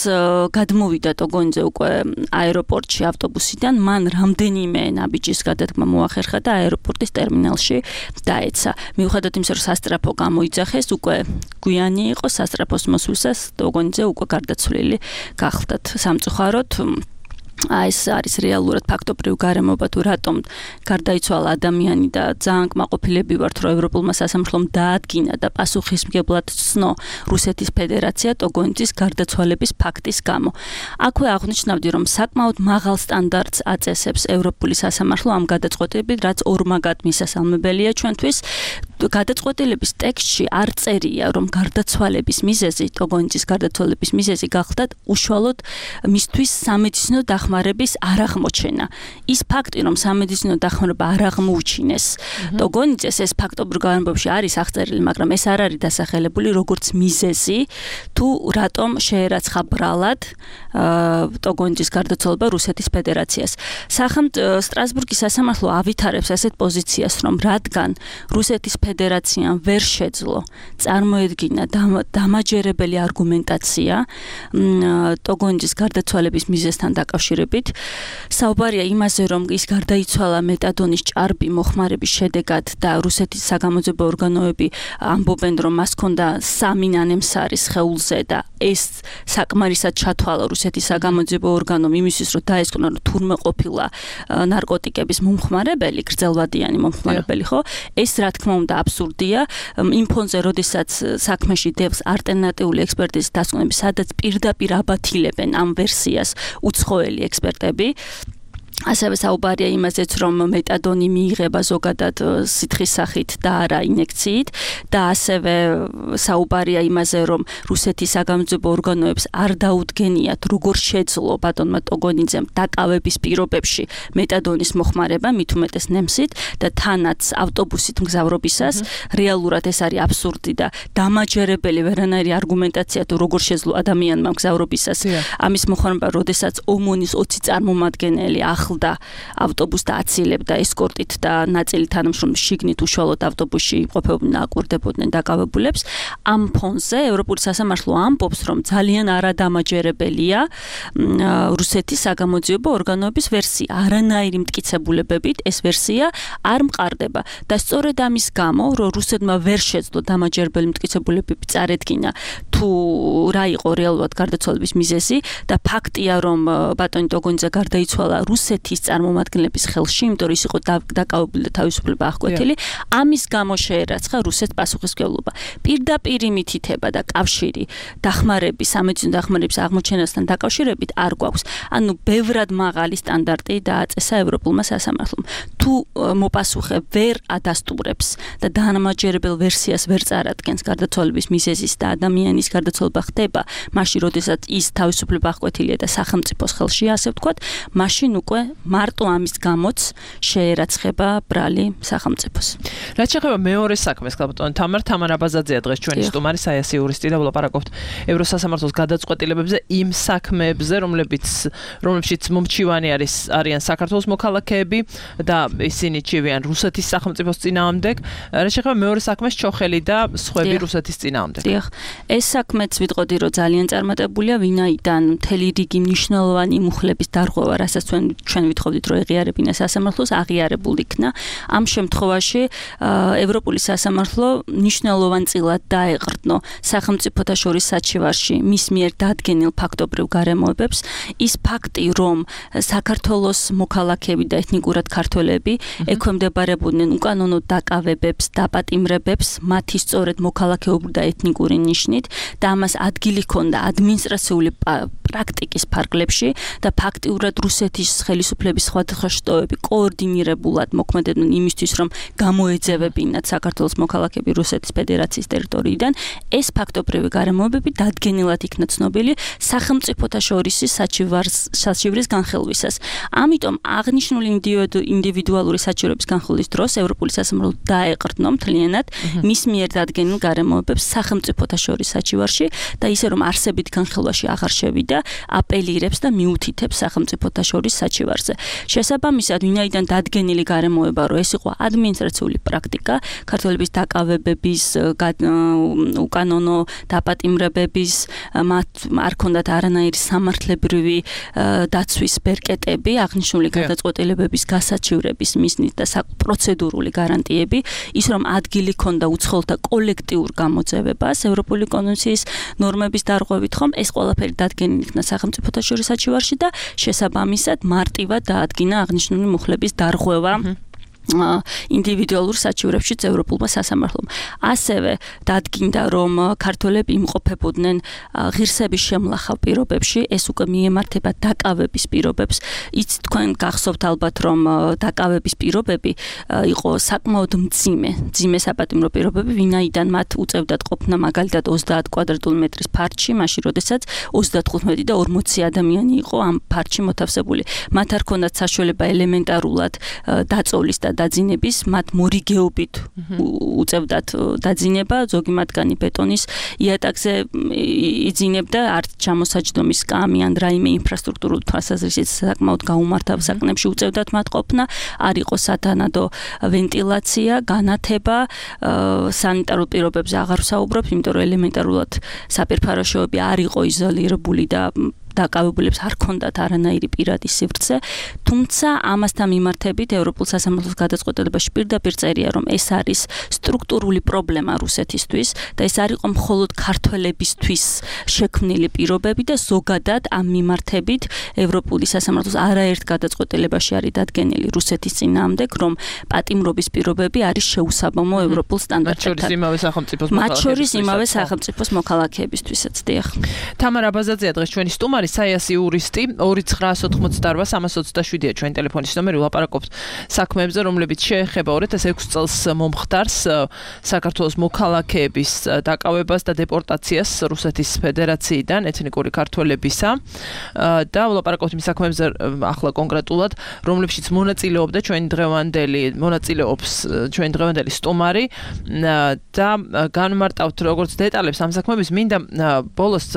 გადმოვიდა ტოგონიძე უკვე აეროპორტში ავტობუსიდან, მან რამდენიმე ნაბიჯის გადადგმა მოახერხა და აეროპორტის ტერმინალში დაეცა. მიუხედავად იმისა, რომ სასტრაფო გამოიძახეს, უკვე გვიანი იყო სასტრაფოს მოსვლისას ტოგონიძე უკვე გარდაცვლილი გახლდათ. სამწუხაროდ აი ეს არის რეალურად ფაქტობრივი გარემოება თუ რატომ გარდაიცვალა ადამიანი და ძალიან კმაყოფილები ვართ, რომ ევროპულმა სასამართლომ დაადგინა და პასუხისმგებლად ცნო რუსეთის ფედერაცია ტოგონიძის გარდაცვალების ფაქტის გამო. აქვე აღნიშნავდი, რომ საკმაოდ მაღალ სტანდარტს აწესებს ევროპული სასამართლო ამ გადაწყვეტილებით, რაც ორმაგად მისასალმებელია ჩვენთვის. გადაწყვეტილების ტექსტში არ წერია, რომ გარდაცვალების მიზეზი, ტოგონიძის გარდაცვალების მიზეზი გახლდათ უშუალოდ მისთვის სამედიცინო დახმარების არაღმოჩენა. ის ფაქტი, რომ სამედიცინო დახმარება არ აღმოუჩინეს ტოგონიძეს, ეს ფაქტობრივ განმავლობაში არის აღწერილი, მაგრამ ეს არ არის დასახელებული როგორც მიზეზი, თუ რატომ შეერაცხა ბრალად ტოგონიძის გარდაცვალება რუსეთის ფედერაციას. სახელმწიფო სტრასბურგის სასამართლო ავითარებს ასეთ პოზიციას, რომ რადგან რუსეთის ფედერაციამ ვერ შეძლო წარმოედგინა დამაჯერებელი არგუმენტაცია ტოგონჯის გარდაცვალების მიზეზთან დაკავშირებით. საუბარია იმაზე, რომ ის გარდაიცვალა მეტადონის ჭარბი მოხმარების შედეგად და რუსეთის საგამოძიებო ორგანოები ამბობენ, რომ მას ჰქონდა სამი ნანემსარი სხეულზე და ეს საკმარისად ჩათვალა რუსეთის საგამოძიებო ორგანომ იმისთვის, რომ დაესკვნა, რომ თურმე ყოფილა ნარკოტიკების მომხმარებელი, გრძელვადიანი მომხმარებელი, ხო? ეს რა თქმა უნდა აბსურდია. იმ ფონზე, როდესაც საქმეში დევს ალტერნატიული ექსპერტიზის დასკვნები, სადაც პირდაპირ აბათილებენ ამ ვერსიას უცხოელი ექსპერტები. ასევე საუბარია იმაზეც, რომ მეტადონი მიიღება ზოგადად სითხის სახით და არა ინექციით და ასევე საუბარია იმაზე, რომ რუსეთის საგამოძიებო ორგანოებს არ დაუდგენიათ, როგორ შეძლო ბატონმა ტოგონიძემ დაკავების პირობებში მეტადონის მოხმარება, მით უმეტეს ნემსით და თანაც ავტობუსით მგზავრობისას. რეალურად ეს არის აბსურდი და დამაჯერებელი ვერანაირი არგუმენტაცია თუ როგორ შეძლო ადამიანმა მგზავრობისას ამის მოხმარება, როდესაც ომონის ოცი წარმომადგენელი ახლდა ავტობუსს და აცილებდა ესკორტით და ნაწილი თანამშრომლები შიგნით უშუალოდ ავტობუსში იმყოფებოდნენ და აკვირდებოდნენ დაკავებულებს. ამ ფონზე ევროპული სასამართლო ამბობს, რომ ძალიან არადამაჯერებელია რუსეთის საგამოძიებო ორგანოების ვერსია. არანაირი მტკიცებულებებით ეს ვერსია არ მყარდება და სწორედ ამის გამო, რომ რუსეთმა ვერ შეძლო დამაჯერებელი მტკიცებულებები წარედგინა თუ რა იყო რეალურად გარდაცვალების მიზეზი და ფაქტია, რომ ბატონი ტოგონიძე გარდაიცვალა რუსეთის წარმომადგენლების ხელში, იმიტომ რომ ის იყო დაკავებული და თავისუფლება აღკვეთილი, ამის გამო შეერაცხა რუსეთს პასუხისმგებლობა. პირდაპირი მითითება და კავშირი დახმარების, სამედიცინო დახმარების აღმოჩენასთან დაკავშირებით არ გვაქვს. ანუ ბევრად მაღალი სტანდარტი დააწესა ევროპულმა სასამართლომ. თუ მოპასუხე ვერ ადასტურებს და დამაჯერებელ ვერსიას ვერ წარადგენს გარდაცვალების მიზეზის და ადამიანის გარდაცვალება ხდება, მაშინ როდესაც ის თავისუფლება აღკვეთილია და სახელმწიფოს ხელშია, ასე ვთქვათ, მაშინ უკვე მარტო ამის გამოც შეერაცხება ბრალი სახელმწიფოს. რაც შეეხება მეორე საქმეს, ბატონო თამარ თამარ აბაზაძეა დღეს ჩვენი სტუმარი, საიასი იურისტი და ვლაპარაკობთ ევროსასამართლოს გადაწყვეტილებებზე, იმ საქმეებზე, რომლებიც რომლებშიც მომჩივანი არის არიან საქართველოს მოქალაქეები და ისინი ჩივიან რუსეთის სახელმწიფოს წინააღმდეგ. რაც შეეხება მეორე საქმეს, ჩოხელი და სხვები რუსეთის წინააღმდეგ. დიახ. ეს საქმეც ვიტყოდი, რომ ძალიან წარმატებულია, ვინაიდან მთელი რიგი მნიშვნელოვანი მუხლების დარღვევა, რასაც ჩვენ ჩვენ ვითხოვდით, რომ ეღიარებინა სასამართლოს, აღიარებულ იქნა. ამ შემთხვევაში ევროპული სასამართლო მნიშვნელოვანწილად დაეყრდნო სახელმწიფოთა შორის საჩივარში მის მიერ დადგენილ ფაქტობრივ გარემოებებს. ის ფაქტი, რომ საქართველოს მოქალაქეები და ეთნიკურად ქართველები ექვემდებარებოდნენ უკანონო დაკავებებს, დაპატიმრებებს, მათი სწორედ მოქალაქეობრივი და ეთნიკური ნიშნით და ამას ადგილი ჰქონდა ადმინისტრაციული პრაქტიკის ფარგლებში და ფაქტიურად რუსეთის ხელისუფლების სხვადასხვა შტოები კოორდინირებულად მოქმედებდნენ იმისთვის, რომ გამოეძევებინათ საქართველოს მოქალაქეები რუსეთის ფედერაციის ტერიტორიიდან. ეს ფაქტობრივი გარემოებები დადგენილად იქნა ცნობილი სახელმწიფოთა შორის საჩივრის განხილვისას. ამიტომ აღნიშნული ინდივიდუალური საჩივრების განხილვის დროს ევროპული სასამართლო დაეყრდნო მთლიანად მის მიერ დადგენილ გარემოებებს სახელმწიფოთა შორის საჩივარში და ისე რომ არსებით განხილვაში აღარ შევიდა, აპელირებს და მიუთითებს სახელმწიფოთა შორის საჩივარზე. შესაბამისად, ვინაიდან დადგენილი გარემოება, რომ ეს იყო ადმინისტრაციული პრაქტიკა, ქართველების დაკავებების, უკანონო დაპატიმრებების, მათ არ ქონდათ არანაირი სამართლებრივი დაცვის ბერკეტები, აღნიშნული გადაწყვეტილებების გასაჩივრების მიზნით და პროცედურული გარანტიები, ის რომ ადგილი ქონდა უცხოელთა კოლექტიურ გამოძევებას ევროპული კონვენციის ნორმების დარღვევით, ხომ ეს ყველაფერი დადგენილი იქნა სახელმწიფოთა შორის საჩივარში და შესაბამისად მარტივად დაადგინა აღნიშნული მუხლების დარღვევა ინდივიდუალურ საჩივრებშიც ევროპულმა სასამართლომ. ასევე დადგინდა, რომ ქართველები იმყოფებოდნენ ღირსების შემლახავ პირობებში, ეს უკვე მიემართება დაკავების პირობებს. იცით თქვენ გახსოვთ ალბათ, რომ დაკავების პირობები იყო საკმაოდ მძიმე, მძიმე საპატიმრო პირობები, ვინაიდან მათ უწევდათ ყოფნა მაგალითად ოცდაათ კვადრატული მეტრის ფარჩი, მაშინ როდესაც ოცდათხუთმეტი და ორმოცი ადამიანი იყო ამ ფარჩი მოთავსებული. მათ არ ქონდათ საშუალება ელემენტარულად დაწოლის და დაძინების მათ მორიგეობით უწევდათ დაძინება, ზოგი მათგანი ბეტონის იატაკზე იძინებდა, არც ჩამოსაჯდომის კამი ან რაიმე ინფრასტრუქტურულ თვალსაზრისით საკმაოდ გაუმართავ საკნებში უწევდათ მათ ყოფნა, არ იყო სათანადო ვენტილაცია, განათება, სანიტარულ პირობებზე აღარ ვსაუბრობ, იმიტომ რომ ელემენტარულად საპირფარეშოები არ იყო იზოლირებული და დაკავებულებს არ ჰქონდათ არანაირი პირადი სივრცე, თუმცა ამასთან მიმართებით ევროპულ სასამართლოს გადაწყვეტილებაში პირდაპირ წერია, რომ ეს არის სტრუქტურული პრობლემა რუსეთისთვის და ეს არ იყო მხოლოდ ქართველებისთვის შექმნილი პირობები და ზოგადად ამ მიმართებით ევროპული სასამართლოს არაერთ გადაწყვეტილებაში არის დადგენილი რუსეთის წინააღმდეგ, რომ პატიმრობის პირობები არის შეუსაბამო ევროპულ სტანდარტებთან. მათ შორის იმავე სახელმწიფოს მოქალაქეებისთვისაც, დიახ. თამარ აბაზაძეა დღეს ჩვენი სტუმარი, საიასი იურისტი, ორი ცხრაას ოცდაოთხმოცდაოთხ სამას ოცდაშვიდია ჩვენ ტელეფონის ნომერი, ვლაპარაკობთ საქმეებზე, რომლებიც შეეხება ორ ათას ექვსი წელს მომხდარს საქართველოს მოქალაქეების დაკავებას და დეპორტაციას რუსეთის ფედერაციიდან ეთნიკური ქართველებისა და ვლაპარაკობთ იმ საქმეებზე ახლა კონკრეტულად, რომლებშიც მონაწილეობდა ჩვენ დღევანდელი მონაწილეობს ჩვენ დღევანდელი სტუმარი და განმარტავთ როგორც დეტალებს ამ საქმეების, მინდა ბოლოს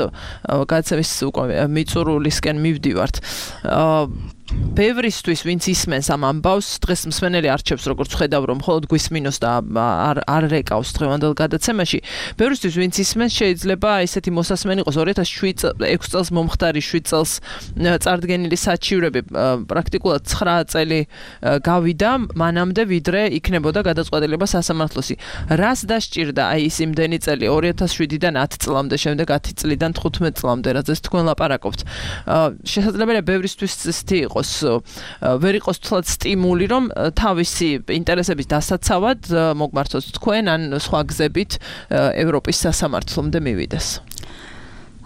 გადაცემის უკვე მიწურულისკენ მივდივართ. ბევრისთვის ვინც ისმენს ამ ამბავს, დღეს მსმენელი არჩევს, როგორც ხედავ, რომ მხოლოდ გვისმინოს და არ არ რეკავს დღევანდელ გადაცემაში. ბევრისთვის ვინც ისმენს, შეიძლება ესეთი მოსასმენი იყოს, ორ ათას ექვსი წელს მომხდარი შვიდ წელს წარდგენილი საჩივრები პრაქტიკულად ცხრა წელი გავიდა, მანამდე ვიდრე იქნებოდა გადაწყვეტილება სასამართლოსი. რას დასჭირდა აი ის იმდენი წელი ორ ათას შვიდიდან ათი წლამდე, შემდეგ ათი წლიდან თხუთმეტ წლამდე, რაზეც თქვენ ლაპარაკობთ. შესაძლებელია ბევრისთვის ცეთი იყოს ვერ იყოს თლად სტიმული, რომ თავისი ინტერესების დასაცავად მოგმართოს თქვენ ან სხვა გზებით ევროპის სასამართლომდე მივიდეს.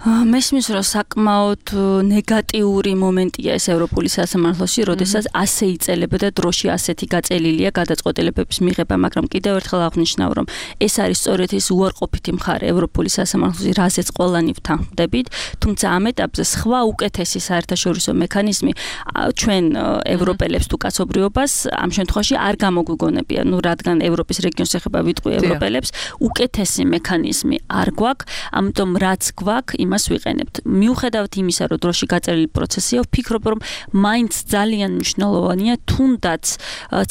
მესმის რომ საკმაოდ ნეგატიური მომენტია ეს ევროპული სასამართლოში, როდესაც ასე იწელებოდა დროში ასეთი გაწელილია გადაწყვეტილებების მიღება, მაგრამ კიდევ ერთხელ აღნიშნავ, რომ ეს არის სწორედ ის უარყოფითი მხარე ევროპული სასამართლოში, რაზეც ყველანი ვთანხმდებით, თუმცა ამ ეტაპზე სხვა უკეთესი საერთაშორისო მექანიზმი ჩვენ ევროპელებს თუ კაცობრიობას ამ შემთხვევაში არ გამოგვიგონებია, ну რადგან ევროპის რეგიონს ეხება ვიტყვი ევროპელებს, უკეთესი მექანიზმი არ გვაქვს, ამიტომ რაც გვაქვს იმას ვიყენებთ. მიუხედავად იმისა, რომ დროში გაწერილი პროცესია, ვფიქრობ, რომ მაინც ძალიან მნიშვნელოვანია, თუნდაც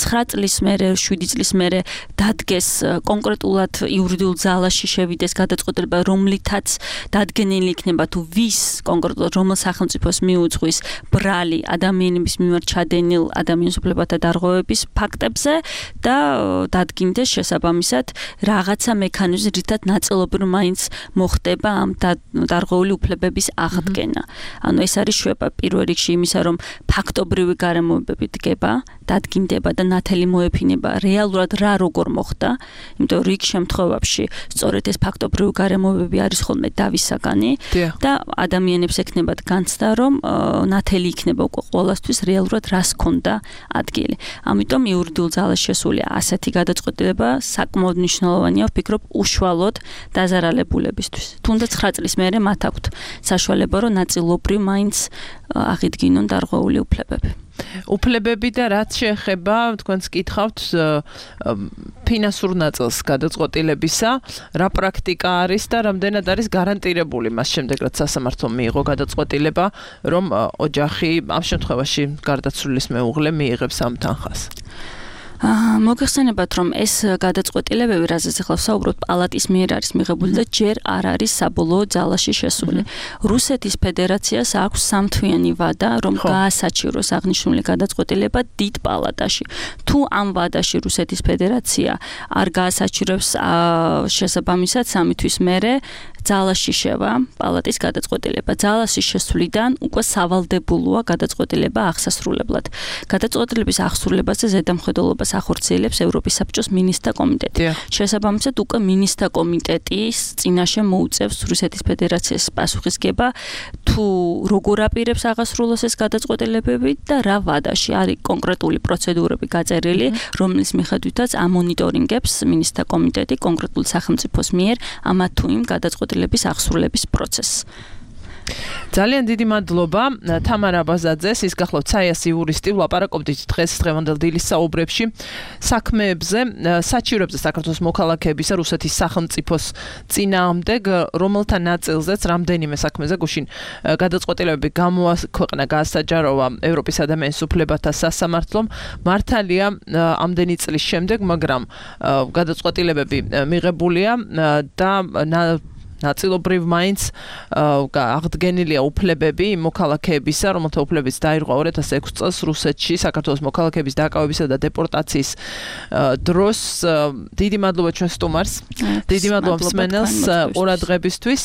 ცხრა წლის მერე, შვიდი წლის მერე დადგეს კონკრეტულად იურიდიულ ძალაში შევიდეს გადაწყვეტილება, რომლითაც დადგენილი იქნება თუ ვის კონკრეტულად რომელ სახელმწიფოს მიუძღვის ბრალი ადამიანების მიმართ ჩადენილ ადამიანის უფლებათა დარღვევების ფაქტებზე და დადგინდეს შესაბამისად რაღაცა მექანიზმი, რითაც ნაწილობრივ მაინც მოხდება ამ დარღვეული უფლებების აღდგენა. ანუ ეს არის შვება პირველ რიგში იმისა, რომ ფაქტობრივი გარემოებები დგება, დადგინდება და ნათელი მოეფინება რეალურად რა როგორ მოხდა, იმიტომ რომ რიგ შემთხვევებში სწორედ ეს ფაქტობრივი გარემოებები არის ხოლმე დავისაგანი და ადამიანებს ექნებათ განცდა, რომ ნათელი იქნება უკვე ყოველასთვის რეალურად რას ქონდა ადგილი. ამიტომ იურიდიულ ძალაში შესულია ასეთი გადაწყვეტილება საკმაოდ მნიშვნელოვანია, ვფიქრობ, უშუალოდ დაზარალებულებისთვის. თუნდაც ცხრა წლის მერე მათ აქვთ საშუალება, რომ ნაწილობრივ მაინც აღიდგინონ დარღვეული უფლებები. უფლებები და რაც შეეხება, თქვენს კითხავთ ფინანსურ ნაწილს გადაწყვეტილებისა, რა პრაქტიკა არის და რამდენად არის გარანტირებული მას შემდეგ, რაც სასამართლომ მიიღო გადაწყვეტილება, რომ ოჯახი ამ შემთხვევაში გარდაცვლილის მეუღლე მიიღებს ამ თანხას. მოგეხსენებათ, რომ ეს გადაწყვეტილებები, რაზეც ახლა ვსაუბრობთ, პალატის მიერ არის მიღებული და ჯერ არ არის საბოლოო ძალაში შესული. რუსეთის ფედერაციას აქვს სამთვიანი ვადა, რომ გაასაჩივროს აღნიშნული გადაწყვეტილება დიდ პალატაში. თუ ამ ვადაში რუსეთის ფედერაცია არ გაასაჩივრებს შესაბამისად სამი თვის მერე ძალაში შევა პალატის გადაწყვეტილება. ძალაში შესვლიდან უკვე სავალდებულოა გადაწყვეტილება აღსასრულებლად. გადაწყვეტილების აღსრულებაზე ზედამხედველობას ახორციელებს ევროპის საბჭოს მინისტრთა კომიტეტი. შესაბამისად უკვე მინისტრთა კომიტეტის წინაშე მოუწევს რუსეთის ფედერაციას პასუხისგება, თუ როგორ აპირებს აღასრულოს ეს გადაწყვეტილებები და რა ვადაში არის კონკრეტული პროცედურები გაწერილი, რომლის მიხედვითაც ამონიტორინგებს მინისტრთა კომიტეტი კონკრეტულ სახელმწიფოს მიერ ამა თუ იმ გადაწყვეტილების აღსრულების პროცესს. ძალიან დიდი მადლობა თამარა ბაზაძეს, ის გახლავთ საიასი იურისტი, ვლაპარაკობდით დღეს დღევანდელ დილის საუბრებში საქმეებზე, საჩივრებზე საქართველოს მოქალაქეებისა რუსეთის სახელმწიფოს წინააღმდეგ, რომელთა ნაწილზეც რამდენიმე საქმეზე გუშინ გადაწყვეტილებები გამოაქვეყნა გაასაჯაროვა ევროპის ადამიანის უფლებათა სასამართლომ. მართალია ამდენი წლის შემდეგ, მაგრამ გადაწყვეტილებები მიღებულია და ნაწილობრივ მაინც აღდგენილია უფლებები მოქალაქეებისა, რომელთა უფლებიც დაირღვა ორი ათას ექვსი წელს რუსეთში საქართველოს მოქალაქეების დაკავებისა და დეპორტაციის დროს. დიდი მადლობა ჩვენ სტუმარს, დიდი მადლობა მსმენელს ყურადღებისთვის.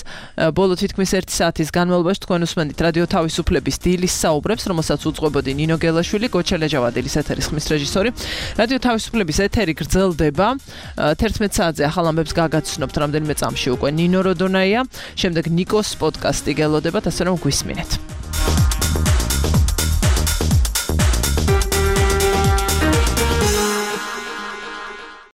ბოლო თითქმის ერთი საათის განმავლობაში თქვენ უსმენთ რადიო თავისუფლების დილის საუბრებს, რომელსაც უძღვებოდი ნინო გელაშვილი, გოჩა ლეჯავადილის ეთერის ხმის რეჟისორი. რადიო თავისუფლების ეთერი გრძელდება. თერთმეტ საათზე ახალ ამბებს გაგაცნობთ რამდენიმე წამში უკვე ნინო როდონაია, შემდეგ ნიკოს პოდკასტი გელოდებათ, ასე რომ გვისმინეთ.